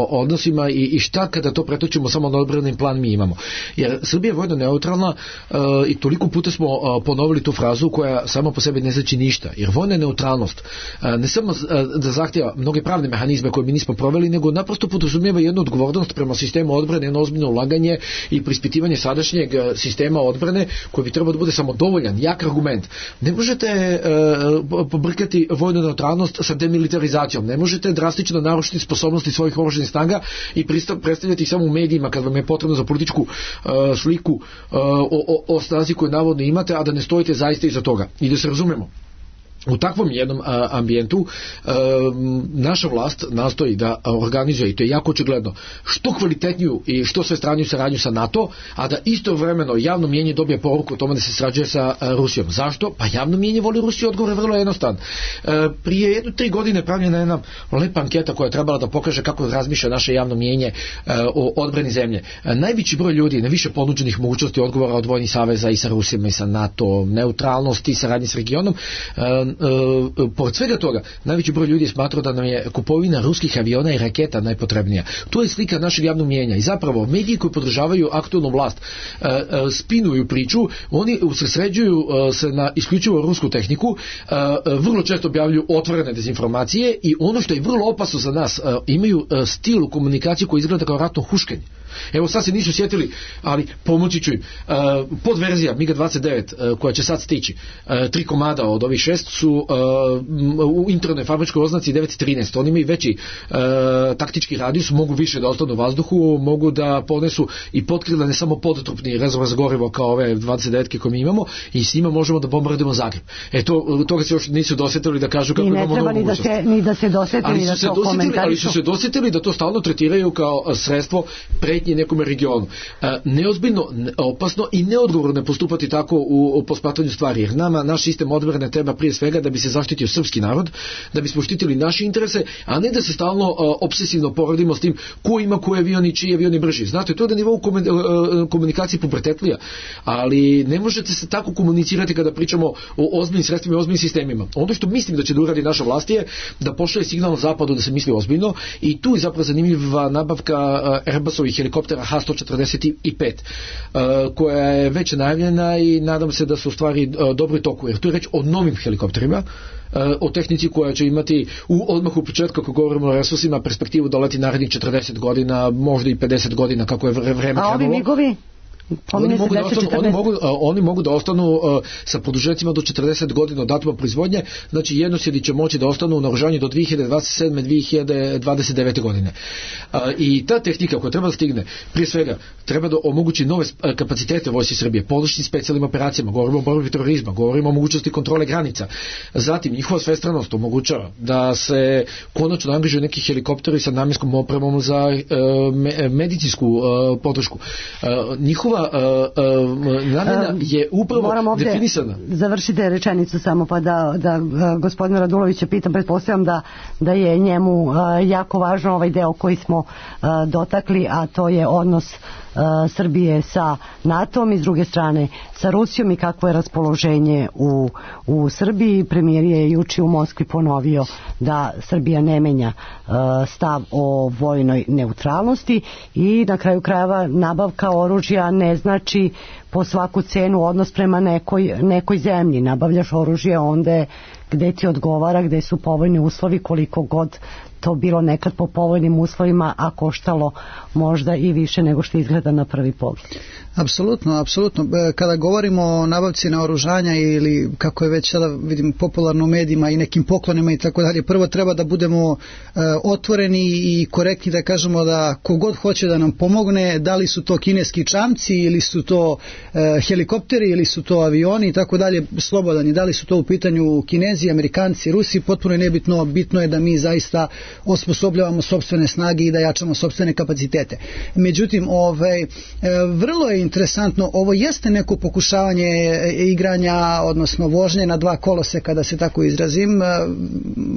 odnosima i šta kada to pretočimo samo na odbrani plan mi imamo. Jer Srbija je vojno neutralna i toliko puta smo ponovili tu frazu koja sama po sebi ne znači ništa. Jer vojna neutralnost ne samo da zahtjeva mnoge pravne mehanizme koje mi nismo proveli, nego naprosto podrazumijeva jednu odgovornost prema sistemu odbrane, jedno ozbiljno ulaganje i preispitivanje sadašnjeg sistema odbrane koji bi trebao da bude samodovoljan, jak argument. Ne možete pobrkati vojnu neutralnost sa demilitarizacijom, ne možete drastično narušiti sposobnosti svojih oružanih snaga i predstavljati samo u medijima kad vam je potrebno za političku sliku o snazi koju navodno imate, a da ne stojite zaista iza toga. I da se razumemo, u takvom jednom ambijentu naša vlast nastoji da organizuje, i to je jako očigledno, što kvalitetniju i što svestraniju saradnju sa NATO, a da istovremeno javno mnijenje dobije poruku o tome da se sarađuje sa Rusijom. Zašto? Pa javno mnijenje voli Rusiju, odgovor je vrlo jednostavan. Prije 3 godine pravljena jedna lepa anketa koja je trebala da pokaže kako razmišlja naše javno mnijenje o odbrani zemlje. Najveći broj ljudi, na više ponuđenih mogućnosti odgovora od vojnih saveza i sa Rusijama i sa NATO, neutralnosti i saradnji s regionom. Pored svega toga, najveći broj ljudi je smatrao da nam je kupovina ruskih aviona i raketa najpotrebnija. To je slika našeg javnog mnijenja i zapravo mediji koji podržavaju aktualnu vlast spinuju priču, oni usredsređuju se na isključivo rusku tehniku, vrlo često objavljuju otvorene dezinformacije i ono što je vrlo opasno za nas, imaju stil u komunikaciji koji izgleda kao ratno huškanje. Evo sad se nisu sjetili, ali pomoći ću im. Podverzija MiG-29 koja će sad stići, 3 komada od ovih 6 su u internoj fabričkoj oznaci 9.13. Oni imaju veći taktički radijus, mogu više da ostanu u vazduhu, mogu da ponesu i potkrila ne samo podotrupni rezervoar za gorivo kao ove 29-ke koje mi imamo, i s njima možemo da bombardujemo Zagreb. Toga se još nisu dosjetili da kažu kako imamo novu mogućnost. Ni da se dosjetili da to komentarišu. Ali su se dosjetili da to stalno tretiraju kao sredstvo pretnje nekom regionu. Neozbiljno, opasno i neodgovorno postupati tako u posmatranju stvari, jer nama naš sistem odbrane treba prije svega da bi se zaštitio srpski narod, da bismo štitili naše interese, a ne da se stalno obsesivno poredimo s tim ko ima koji avion i čiji avion je brži. Znate, to je na nivou komunikacije pubertetlija, ali ne možete se tako komunicirati kada pričamo o ozbiljnim sredstvima i ozbiljnim sistemima. Ono što mislim da će da uradi naša vlast je da pošalje signal na zapadu da se misli ozbiljno, i tu je zapravo zanimljiva nabavka Airbusovih helikoptera H-145 koja je već najavljena i nadam se da su u stvari dobro toku, jer tu je reč o novim helikopterima, o tehnici koja će imati odmah u početku, ako govorimo o resursima, perspektivu da leti narednih 40 godina, možda i 50 godina kako je vreme krenulo. A ovi migovi? Oni mogu da ostanu sa produžecima do 40 godina od datuma proizvodnje, znači jednosjedi će moći da ostanu u naoružanju do 2027. 2029. godine. I ta tehnika koja treba da stigne, prije svega treba da omogući nove kapacitete Vojsci Srbije, podršci specijalnim operacijama, govorimo o borbi terorizma, govorimo o mogućnosti kontrole granica. Zatim njihova svestranost omogućava da se konačno angažuju neki helikopteri sa namjenskom opremom za medicinsku podršku. Njihova namjena je upravo definisana. Završite rečenicu samo pa da gospodina Radulovića pitam, pretpostavljam da je njemu jako važno ovaj deo koji smo dotakli, a to je odnos Srbije sa NATO-om i s druge strane sa Rusijom i kakvo je raspoloženje u Srbiji. Premijer je juče u Moskvi ponovio da Srbija ne menja stav o vojnoj neutralnosti i na kraju krajeva nabavka oružja ne znači po svaku cenu odnos prema nekoj zemlji. Nabavljaš oružje onda gde ti odgovara, gde su povoljni uslovi, koliko god to bilo nekad po povoljnim uslovima, a koštalo možda i više nego što izgleda na prvi pogled. Apsolutno. Kada govorimo o nabavci naoružanja ili kako je već sada vidim popularno u medijima i nekim poklonima i tako dalje, prvo treba da budemo otvoreni i korektni da kažemo da kogod hoće da nam pomogne, da li su to kineski čamci ili su to helikopteri ili su to avioni i tako dalje, slobodan je, da li su to u pitanju Kinezi, Amerikanci, Rusi, potpuno je nebitno, bitno je da mi zaista osposobljavamo sopstvene snage i da jačamo sopstvene kapacitete. Međutim, vrlo je interesantno, ovo jeste neko pokušavanje igranja, odnosno vožnje na dva koloseka, da se tako izrazim.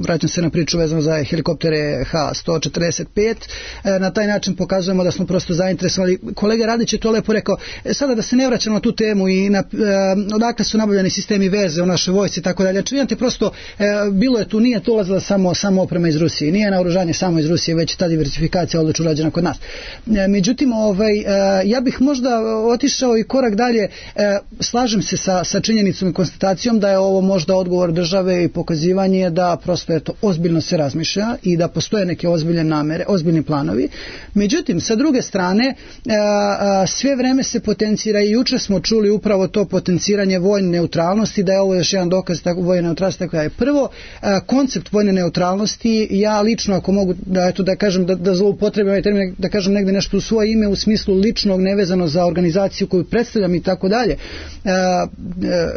Vraćam se na priču vezano za helikoptere H-145. Na taj način pokazujemo da smo prosto zainteresovali. Kolega Radić je to lepo rekao. Sada da se ne vraćamo na tu temu i odakle su nabavljeni sistemi veze u našoj vojsci i tako dalje. Imate prosto bilo je tu, nije tu ulazila samo oprema iz Rusije, nije naoružanje samo iz Rusije, već ta diversifikacija odlično urađena kod nas. Međutim, ja bih možda otišao i korak dalje. Slažem se sa činjenicom i konstatacijom da je ovo možda odgovor države i pokazivanje da prosto ozbiljno se razmišlja i da postoje neke ozbiljne namere, ozbiljni planovi. Međutim, sa druge strane, sve vreme se potencira i juče smo čuli upravo to potenciranje vojne neutralnosti, da je ovo još jedan dokaz vojne neutralnosti. Tako da je prvo, koncept vojne neutralnosti, ja lično ako mogu da kažem da zloupotrebim ovaj termin, da kažem negde nešto u svoje ime u smislu ličnog, nevezano za organizaciju koju predstavljam i tako dalje,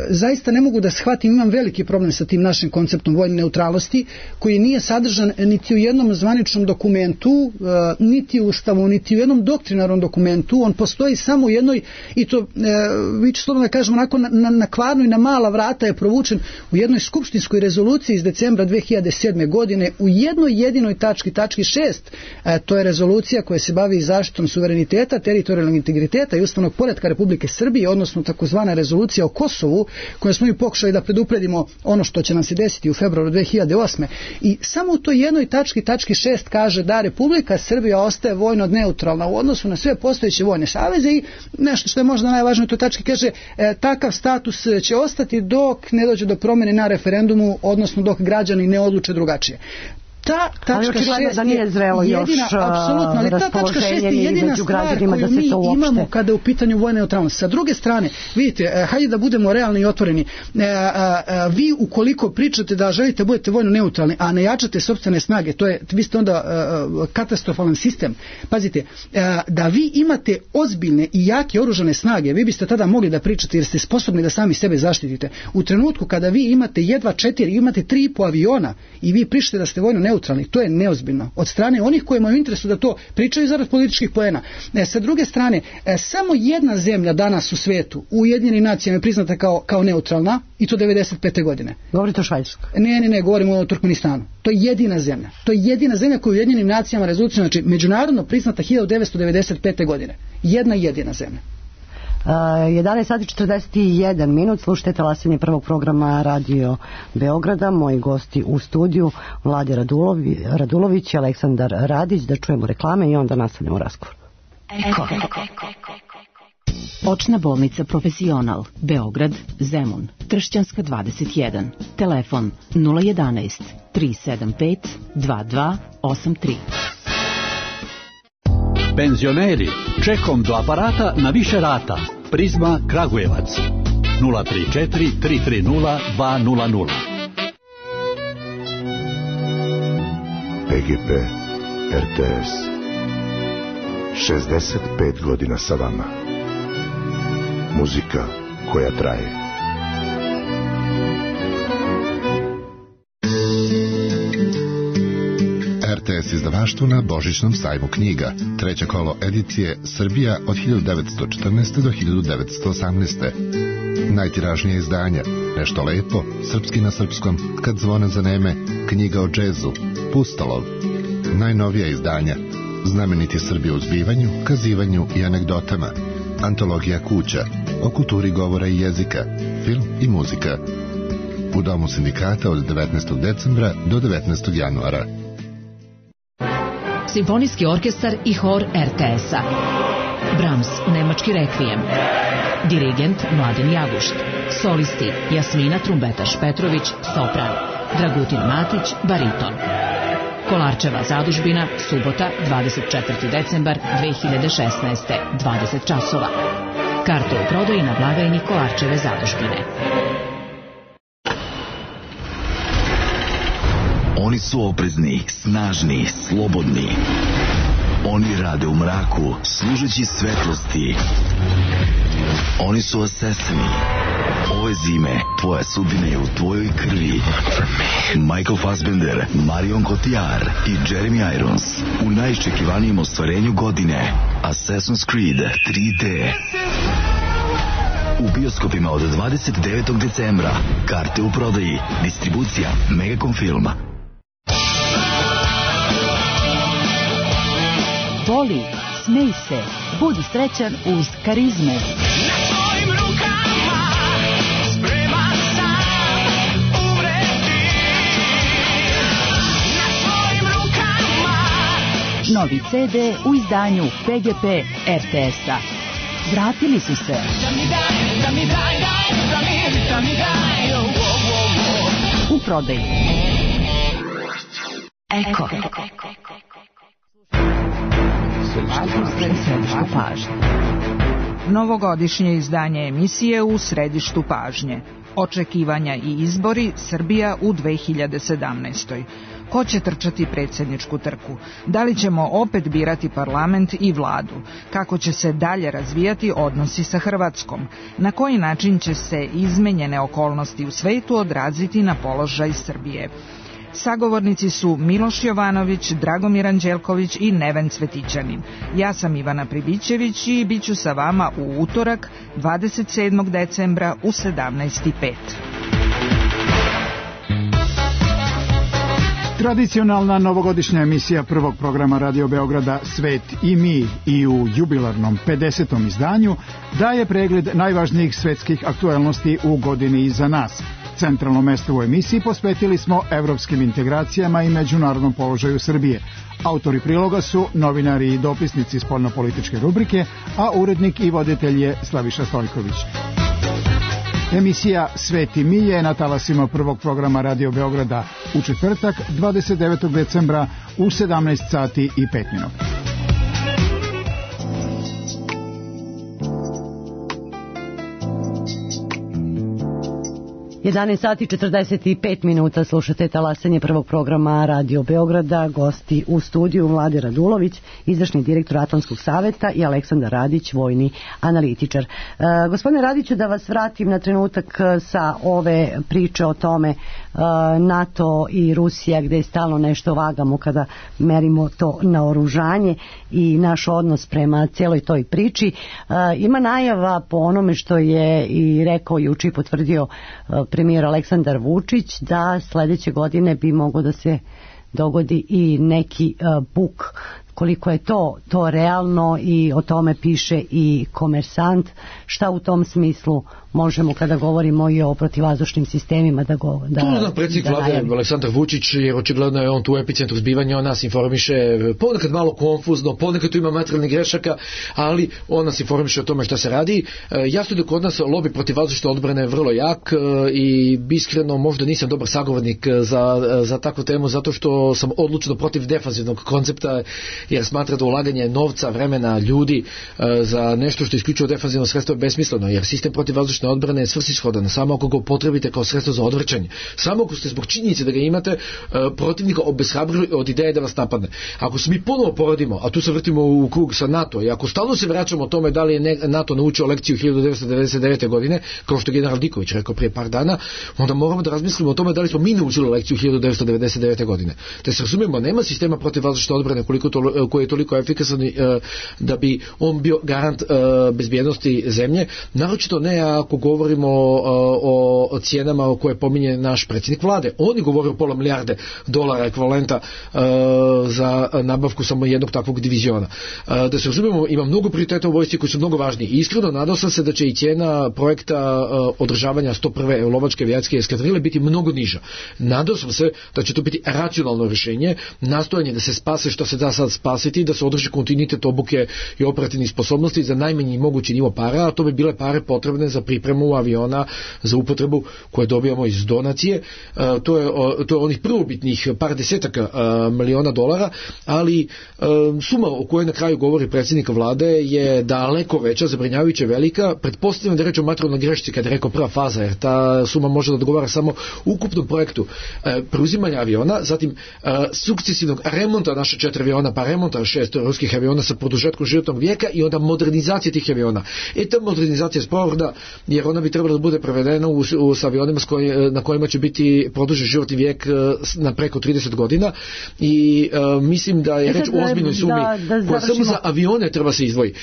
zaista ne mogu da shvatim, imam veliki problem sa tim našim konceptom vojne neutralnosti koji nije sadržan niti u jednom zvaničnom dokumentu, niti u Ustavu, niti u jednom doktrinarnom dokumentu. On postoji samo u jednoj, i to vi ću slobodno da kažem onako na kvarnu i na mala vrata je provučen u jednoj skupštinskoj rezoluciji iz decembra 2007. godine u jednoj jedinoj tački 6. To je rezolucija koja se bavi zaštitom suvereniteta, teritorijalnog integriteta i ustavnog poretka Republike Srbije, odnosno takozvana rezolucija o Kosovu, koju smo i pokušali da predupredimo ono što će nam se desiti u februaru 2008. I samo u toj jednoj tački 6 kaže da Republika Srbija ostaje vojno neutralna u odnosu na sve postojeće vojne saveze i nešto što je možda najvažnije u toj tački kaže takav status će ostati dok ne dođe do promjene na referendumu, odnosno dok građani ne odluče drugačije. Ta tačka 6 da nije zrelo jedina, još apsolutno, ali ta tačka 6 je jedina stvar koju mi imamo kada je u pitanju vojne neutralnosti. Sa druge strane, vidite, hajde da budemo realni i otvoreni. Vi ukoliko pričate da želite budete vojno neutralni, a ne jačate sopstvene snage, vi ste onda katastrofalan sistem. Pazite, da vi imate ozbiljne i jake oružane snage, vi biste tada mogli da pričate jer ste sposobni da sami sebe zaštitite. U trenutku kada vi imate jedva 4, imate 3,5 aviona i vi pričate da ste vojno neutralni, to je neozbiljno od strane onih koji imaju interesu da to pričaju zarad političkih poena. Sa druge strane, samo jedna zemlja danas u svetu, u Ujedinjenim nacijama je priznata kao neutralna i to 95. godine. Govorite o Švajcarskoj? Ne, govorimo o Turkmenistanu. To je jedina zemlja. To je jedina zemlja koja je u Ujedinjenim nacijama rezolucijom, znači međunarodno priznata 1995. godine. Jedina zemlja. 11 sati 41 minut, slušajte talasanje prvog programa Radio Beograda. Moji gosti u studiju Vlade Radulović i Aleksandar Radić. Da čujemo reklame i onda nastavljamo razgovor. Očna bolnica Profesional, Beograd, Zemun, Tršćanska 21, telefon 011 375 2283. Penzioneri, čekom do aparata na više rata. Prizma Kragujevac 034 330 200. PGP RTS 65 godina sa vama. Muzika koja traje. RTS izdavaštvo na Božićnom sajmu knjiga. Treće kolo edicije Srbija od 1914. do 1918. Najtiražnije izdanja Nešto lepo, Srpski na srpskom, Kad zvone zaneme, Knjiga o džezu, Pustolov. Najnovija izdanja Znameniti Srbi u zbivanju, kazivanju i anegdotama, Antologija kuća, o kulturi govora i jezika, film i muzika. U Domu sindikata od 19. decembra do 19. januara. Simfonijski orkestar i hor RTS-a. Brahms, Nemački rekvijem. Dirigent Mladen Jagušt. Solisti Jasmina Trumbetaš Petrović, sopran. Dragutin Matić, bariton. Kolarčeva zadužbina, subota, 24. decembar 2016. 20 časova. Karte u prodaji na blagajni Kolarčeve zadužbine. Oni su oprezni, snažni, slobodni. Oni rade u mraku, služeći svetlosti. Oni su asesini. Ove zime, tvoja sudbina je u tvojoj krvi. Michael Fassbender, Marion Cotillard i Jeremy Irons u najiščekivanijem ostvarenju godine. Assassin's Creed 3D. U bioskopima od 29. decembra. Karte u prodaji. Distribucija Megacom Filma. Voli, smej se, budi srećan uz Karizmu. Na tvojim rukama spreman sam umreći Novi CD u izdanju PGP RTS-a. Vratili su se. U prodaju. Eko. Središtu pažnje. Novogodišnje izdanje emisije u središtu pažnje. Očekivanja i izbori Srbija u 2017. Ko će trčati predsjedničku trku? Da li ćemo opet birati parlament i vladu? Kako će se dalje razvijati odnosi sa Hrvatskom? Na koji način će se izmenjene okolnosti u svetu odraziti na položaj Srbije? Sagovornici su Miloš Jovanović, Dragomir Anđelković i Neven Cvetićanin. Ja sam Ivana Pribićević i bit ću sa vama u utorak 27. decembra u 17:05. Tradicionalna novogodišnja emisija prvog programa Radio Beograda Svet i mi i u jubilarnom 50. izdanju daje pregled najvažnijih svetskih aktuelnosti u godini iza nas. Centralno mesto u emisiji posvetili smo evropskim integracijama i međunarodnom položaju Srbije. Autori priloga su novinari i dopisnici spoljnopolitičke rubrike, a urednik i voditelj je Slaviša Stojković. Emisija Svet i mi je na talasima prvog programa Radio Beograda u četvrtak 29. decembra u 17 sati i 5 minuta. 11 sati 45 minuta slušate talasanje prvog programa Radio Beograda. Gosti u studiju Mlade Radulović, izvršni direktor Atlantskog saveta, i Aleksandar Radić, vojni analitičar. Gospodine Radiću, da vas vratim na trenutak sa ove priče o tome NATO i Rusija, gde stalno nešto vagamo kada merimo to naoružanje i naš odnos prema cijeloj toj priči. Ima najava, po onome što je i rekao juče i potvrdio premijer Aleksandar Vučić, da sledeće godine bi moglo da se dogodi i neki buk. Koliko je to realno, i o tome piše i Komersant. Šta u tom smislu možemo, kada govorimo i o protivvazdušnim sistemima, da tu predsjednik vlade Aleksandar Vučić, jer očigledno je on tu u epicentru zbivanja, on nas informiše ponekad malo konfuzno, ponekad tu ima materijalnih grešaka, ali on nas informiše o tome šta se radi. Jasno da kod nas lobi protivvazdušne odbrane vrlo jak i iskreno možda nisam dobar sagovornik za takvu temu, zato što sam odlučno protiv defanzivnog koncepta, jer smatra da ulaganje novca, vremena, ljudi za nešto što je isključivo defanzivno sredstvo je besmisleno, jer sistem protivvazdušne odbrane je svrsishodan samo ako ga upotrebite kao sredstvo za odvrćanje. Samo ako ste zbog činjenice da ga imate protivnika obeshrabrili od ideje da vas napadne. Ako se mi ponovo porodimo, a tu se vrtimo u krug sa NATO, i ako stalno se vraćamo o tome da li je NATO naučio lekciju 1999. godine, kao što je general Diković rekao prije par dana, onda moramo da razmislimo o tome da li smo mi naučili lekciju 1999. godine. Te se razumijemo, nema sistema protivvazdušne odbrane koji je toliko efikasan da bi on bio garant bezbjednosti zemlje, naročito ne ako govorimo o cijenama koje pominje naš predsjednik vlade. On je govorio o $500 milijarde ekvivalenta za nabavku samo jednog takvog diviziona. Da se razumijemo, ima mnogo prioriteta u vojsci koji su mnogo važniji. Iskreno nadao sam se da će i cijena projekta održavanja 101. lovačke avijacijske eskadrile biti mnogo niža. Nadao sam se da će to biti racionalno rješenje, nastojanje da se spase što se da sad spasiti, da se održi kontinuitet obuke i operativnih sposobnosti za najmanji mogući nivo para, a to bi bile pare potrebne za pripremu aviona za upotrebu koje dobijamo iz donacije. To je onih prvobitnih par desetaka miliona dolara, ali suma o kojoj na kraju govori predsjednik vlade je daleko veća, zabrinjavajuće velika. Pretpostavljam da je reč o materijalnoj grešci kada je rekao prva faza, jer ta suma može da odgovara samo ukupnom projektu preuzimanja aviona, zatim sukcesivnog remonta naše 4 aviona, pa remonta 6 ruskih aviona sa produžetkom životnog vijeka i onda modernizacije tih aviona. Ta modernizacija je sporna, jer ona bi trebala da bude prevedena s avionima na kojima će biti produžen životni vijek na preko 30 godina, i mislim da je reč o ozbiljnoj sumi koja samo za avione treba se izdvoji.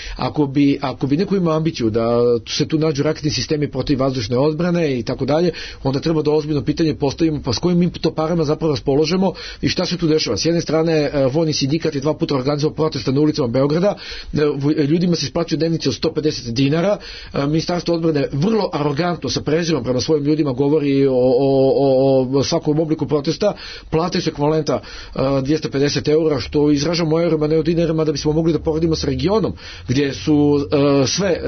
Ako bi neko imao ambiciju da se tu nađu raketni sistemi protivvazdušne odbrane i tako dalje, onda treba da ozbiljno pitanje postavimo, pa s kojim mi to parama zapravo raspoložemo i šta se tu dešava. S jedne strane vojni sindikat je 2 puta organizovao protesta na ulicama Beograda, ljudima se isplaćuju dnevnice od 150 dinara, Ministarstvo odbrane vrlo arogantno sa prezirom prema svojim ljudima govori o svakom obliku protesta, plate su ekvivalenta 250 eura, što izražamo u eurima, ne u dinarima, da bismo mogli da poredimo sa regionom, gdje su sve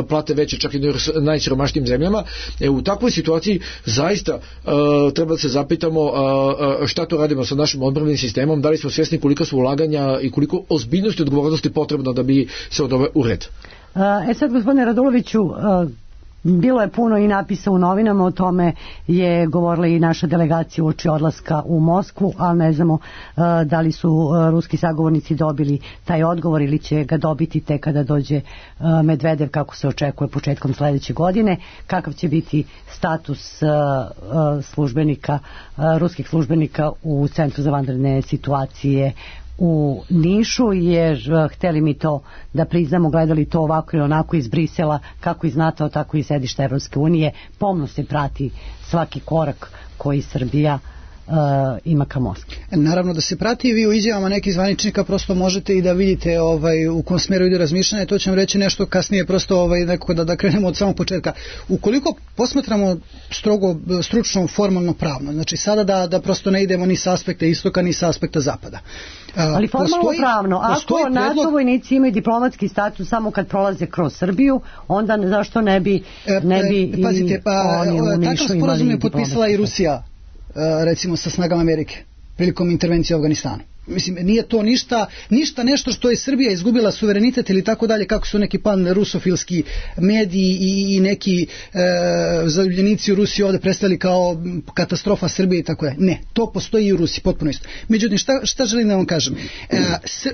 plate veće, čak i u najsiromašnijim zemljama. U takvoj situaciji zaista treba da se zapitamo šta to radimo sa našim odbrambenim sistemom, da li smo svjesni koliko su ulaganja i koliko ozbiljnosti i odgovornosti potrebno da bi se odove u red. Sad, gospodine Raduloviću, bilo je puno i napisa u novinama, o tome je govorila i naša delegacija uoči odlaska u Moskvu, ali ne znamo da li su ruski sagovornici dobili taj odgovor ili će ga dobiti tek kada dođe Medvedev, kako se očekuje početkom sledeće godine. Kakav će biti status ruskih službenika u Centru za vanredne situacije u Nišu, jer hteli mi to da priznamo, gledali to ovako ili onako iz Brisela, kako iz NATO, tako i sedišta Evropske unije, pomno se prati svaki korak koji Srbija ima ka Moskvi. Naravno da se prati, vi u izjavama nekih zvaničnika prosto možete i da vidite u kom smjeru ide razmišljanje, to ćemo reći nešto kasnije, prosto nekako da krenemo od samog početka. Ukoliko posmatramo strogo stručno, formalno, pravno, znači sada da prosto ne idemo ni sa aspekta istoka ni sa aspekta zapada. Ali formalno pravno, ako NATO vojnici imaju diplomatski status samo kad prolaze kroz Srbiju, onda zašto ne bi pazite, oni u Nišu imali takav sporazum je potpisala i Rusija, recimo sa snagama Amerike prilikom intervencije u Afganistanu. Mislim, nije to ništa nešto što je Srbija izgubila suverenitet ili tako dalje, kako su neki pan-rusofilski mediji i neki zaljubljenici u Rusiji ovdje predstavili kao katastrofa Srbije i tako dalje. Ne, to postoji i u Rusiji, potpuno isto. Međutim, šta želim da vam kažem?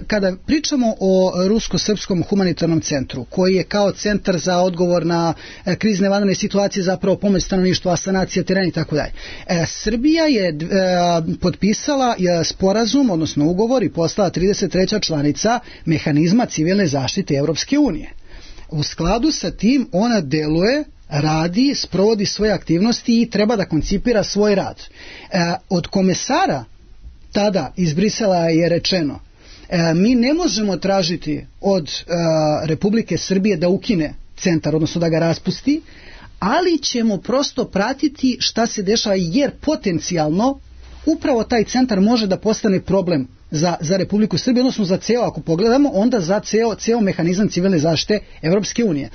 Kada pričamo o rusko-srpskom humanitarnom centru, koji je kao centar za odgovor na krizne vanredne situacije, zapravo pomoć stanovništva, sanacija terena i tako dalje, Srbija je potpisala sporazum, odnosno ugovor, i postala 33. članica mehanizma civilne zaštite Europske unije. U skladu sa tim ona deluje, radi, sprovodi svoje aktivnosti i treba da koncipira svoj rad. Od komesara tada iz Brisela je rečeno, mi ne možemo tražiti od Republike Srbije da ukine centar, odnosno da ga raspusti, ali ćemo prosto pratiti šta se dešava, jer potencijalno upravo taj centar može da postane problem za Republiku Srbiju, odnosno za ceo, ako pogledamo, onda za ceo mehanizam civilne zaštite Evropske unije.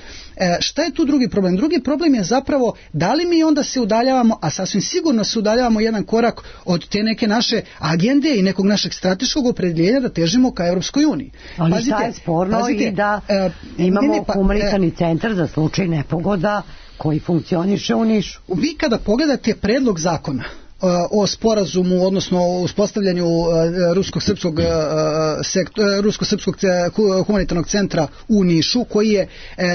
Šta je tu drugi problem? Drugi problem je zapravo da li mi onda se udaljavamo, a sasvim sigurno se udaljavamo jedan korak od te neke naše agende i nekog našeg strateškog opredjeljenja da težimo ka Evropskoj uniji. Ali šta je sporno i da imamo humanitarni centar za slučaj nepogoda koji funkcioniše u Nišu? Vi kada pogledate predlog zakona o sporazumu, odnosno o uspostavljanju rusko-srpskog humanitarnog centra u Nišu, koji je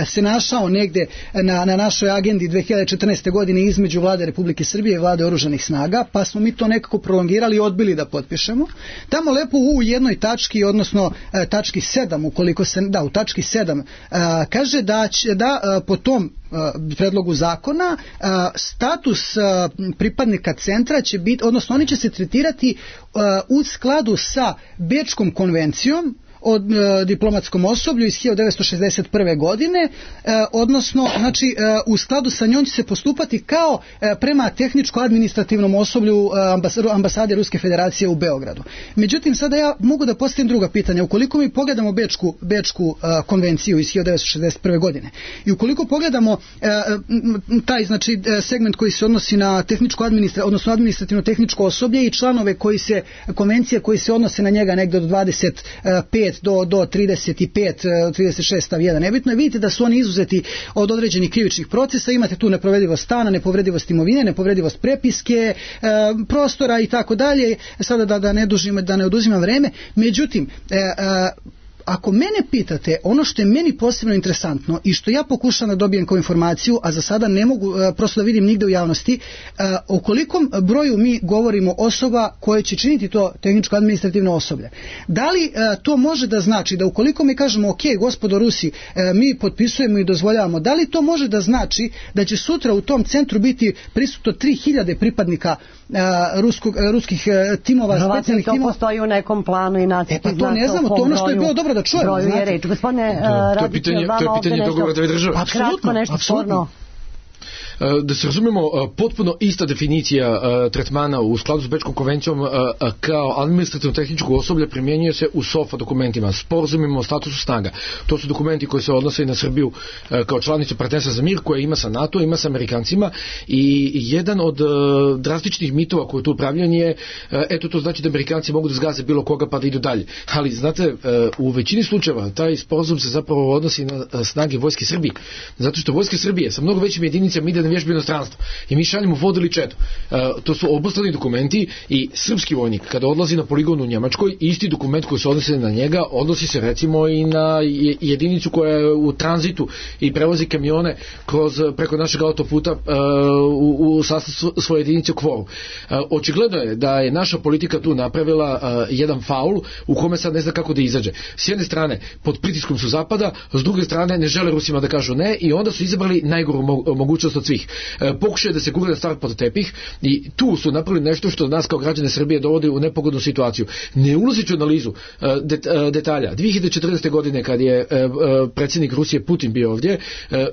se našao negde na našoj agendi 2014. godine između vlade Republike Srbije i vlade oružanih snaga, pa smo mi to nekako prolongirali i odbili da potpišemo. Tamo lepo u jednoj tački, odnosno tački 7, ukoliko se, u tački 7 kaže da po tom predlogu zakona status pripadnika centra će biti, odnosno oni će se tretirati u skladu sa Bečkom konvencijom o diplomatskom osoblju iz 1961. godine, odnosno znači u skladu sa njom će se postupati kao prema tehničko-administrativnom osoblju ambasade Ruske federacije u Beogradu. Međutim, sada ja mogu da postavim druga pitanja. Ukoliko mi pogledamo Bečku konvenciju iz 1961. godine i ukoliko pogledamo taj znači segment koji se odnosi na odnosno administrativno-tehničko osoblje i članove konvencije koji se odnose na njega negdje od 25 do 35, 36 stav 1, nebitno je, vidite da su oni izuzeti od određenih krivičnih procesa, imate tu nepovredivost stana, nepovredivost imovine, nepovredivost prepiske, prostora i tako dalje, sada da ne oduzimam vreme. Međutim, ako mene pitate, ono što je meni posebno interesantno i što ja pokušam da dobijem kao informaciju, a za sada ne mogu prosto da vidim nigde u javnosti, o kolikom broju mi govorimo osoba koje će činiti to tehničko-administrativno osoblje. Da li to može da znači da ukoliko mi kažemo ok, gospodo Rusi, mi potpisujemo i dozvoljavamo, da li to može da znači da će sutra u tom centru biti prisutno 3000 pripadnika ruskih timova, specijalnih timova. To postoji u nekom planu i nacrtu. Pa to ne znamo, to ono što je bilo dobro da čujemo. Broju je reč. Gospodine Radić, to je pitanje dogovora dve države. Pa kratko nešto sporno. Da se razumemo, potpuno ista definicija tretmana u skladu s Bečkom konvencijom kao administrativno-tehničko osoblje primjenjuje se u SOFA dokumentima, sporazumima o statusu snaga. To su dokumenti koji se odnose i na Srbiju kao članicu partnerstva za mir koja ima sa NATO, ima sa Amerikancima i jedan od drastičnih mitova koji tu upravljan je eto to znači da Amerikanci mogu da zgaze bilo koga pa da idu dalje. Ali znate, u većini slučajeva taj sporazum se zapravo odnosi na snage Vojske Srbije. Zato što Vojske Srbije sa mnogo većim jedinicama ide na vježbe inostranstvo i mi šaljemo vodu ili četu. To su obostrani dokumenti i srpski vojnik kada odlazi na poligon u Njemačkoj, isti dokument koji se odnosi na njega odnosi se recimo i na jedinicu koja je u tranzitu i prevozi kamione preko našeg autoputa u sastav svoje jedinice u Kvoru. Očigledno je da je naša politika tu napravila jedan faul u kome sad ne zna kako da izađe. S jedne strane pod pritiskom su Zapada, s druge strane ne žele Rusima da kažu ne i onda su izabrali najgoru mogućnost od svih. Pokušaju da se gurne stvar pod tepih i tu su napravili nešto što nas kao građane Srbije dovodi u nepogodnu situaciju. Ne ulazeći u analizu detalja. 2014. godine kad je predsjednik Rusije Putin bio ovdje,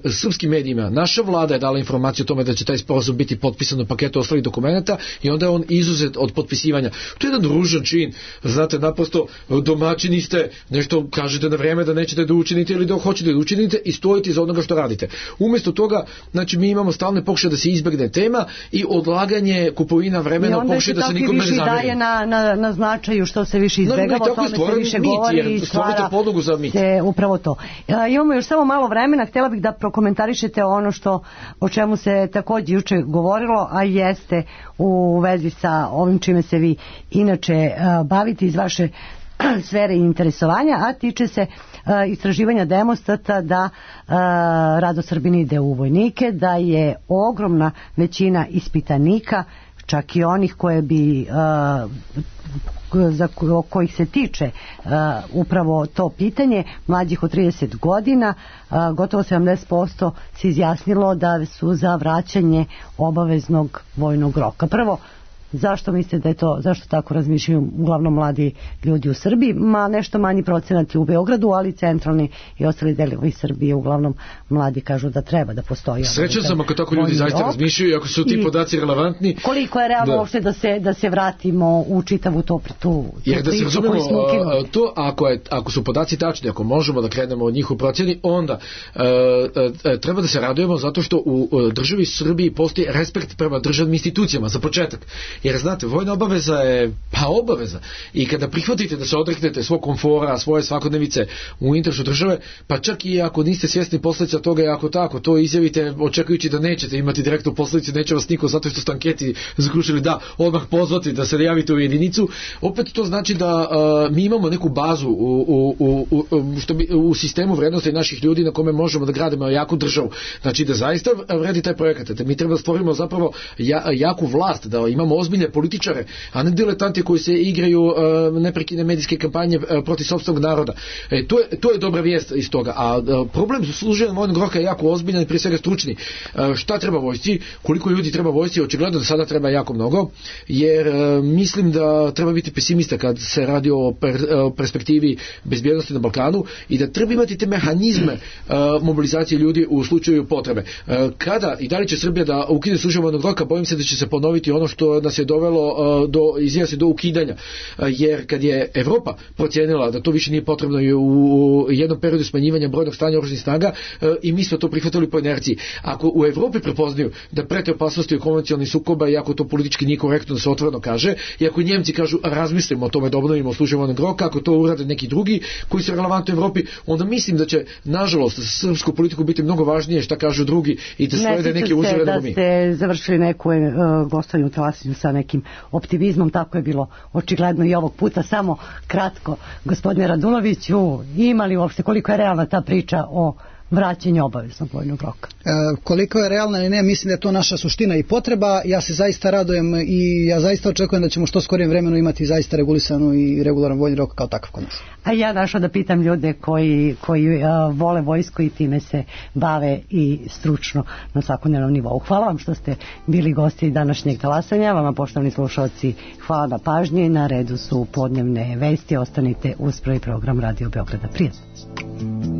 srpskim medijima naša vlada je dala informaciju o tome da će taj sporazum biti potpisan u paketu ostalih dokumenata i onda je on izuzet od potpisivanja. To je jedan ružan čin. Znate, naprosto domaćini ste, nešto kažete na vrijeme da nećete da učinite ili da hoćete da učinite i stojite iza onoga što radite. Umjesto toga, znači mi imamo stalne pokušaje da se izbjegne tema i odlaganje kupovina vremena pokušaje da se nikom ne zameri. I onda se daje na značaju što se više izbjegava, o tome se više govori i stvara se upravo to. Imamo još samo malo vremena, htjela bih da prokomentarišete ono o čemu se također juče govorilo, a jeste u vezi sa ovim čime se vi inače bavite iz vaše sfere interesovanja, a tiče se istraživanja Demostata da Rado Srbin ide u vojnike, da je ogromna većina ispitanika, čak i onih koje bi za kojih se tiče upravo to pitanje, mlađih od 30 godina, gotovo 70% se izjasnilo da su za vraćanje obaveznog vojnog roka. Prvo, zašto mislite da je to, zašto tako razmišljaju uglavnom mladi ljudi u Srbiji? Nešto manji procenat u Beogradu, ali centralni i ostali delovi Srbije uglavnom mladi kažu da treba da postoji. Srećan sam ako tako ljudi zaista razmišljaju i ako su ti podaci relevantni. Koliko je realno uopšte da se vratimo u čitavu tu jer da se razumemo to, ako su podaci tačni, ako možemo da krenemo od njih u procjeni, onda treba da se radujemo zato što u državi Srbiji postoji respekt prema državnim institucijama za početak. Jer znate, vojna obaveza je obaveza i kada prihvatite da se odreknete svog komfora, svoje svakodnevice u interesu države, pa čak i ako niste svjesni posljedica toga i ako tako to izjavite očekujući da nećete imati direktnu posljedicu, neće vas niko zato što ste anketi zaključili da odmah pozvati da se javite u jedinicu, opet to znači da mi imamo neku bazu u sistemu vrednosti naših ljudi na kome možemo da gradimo jaku državu. Znači da zaista vredi taj projekat. Da mi treba da stvorimo zapravo jaku vlast, da imamo ozbiljne političare, a ne diletanti koji se igraju neprekidne medijske kampanje protiv sopstvenog naroda. To je dobra vijest iz toga. A problem služenja vojnog roka je jako ozbiljan i prije svega stručni. Šta treba vojsci? Koliko ljudi treba vojsci? Očigledno da sada treba jako mnogo, jer mislim da treba biti pesimista kad se radi o perspektivi bezbjednosti na Balkanu i da treba imati te mehanizme mobilizacije ljudi u slučaju potrebe. Kada i da li će Srbija da ukine služenje vojnog roka, bojim se da će se ponoviti ono što nas je dovelo do ukidanja. Jer kad je Evropa procijenila da to više nije potrebno u jednom periodu smanjivanja brojnog stanja oružanih snaga i mi smo to prihvatili po inerciji. Ako u Evropi prepoznaju da prete opasnosti konvencionalnih sukoba i ako to politički nije korektno da se otvoreno kaže i ako Njemci kažu razmislimo o tome da obnovimo služenje vojnog roka, ako to urade neki drugi koji su relevantni u Evropi, onda mislim da će nažalost za srpsku politiku biti mnogo važnije šta kažu drugi i da slede neke uzore nego mi. Ne ste završili neku gostovanje u Telasiju sa nekim optimizmom, tako je bilo očigledno i ovog puta. Samo kratko, gospodine Raduloviću, ima li uopšte, koliko je realna ta priča o vraćanje obaveznog vojnog roka. Koliko je realna ili ne, mislim da je to naša suština i potreba. Ja se zaista radujem i ja zaista očekujem da ćemo što skorijem vremenu imati zaista regulisanu i regularan vojni rok kao takav kod nas. A ja našla da pitam ljude koji vole vojsku i time se bave i stručno na svakodnevnom nivou. Hvala vam što ste bili gosti današnjeg talasanja. Vama, poštovani slušalci, hvala na pažnji. Na redu su podnevne vesti. Ostanite uz prvi program Radio Beograda. Prijatno.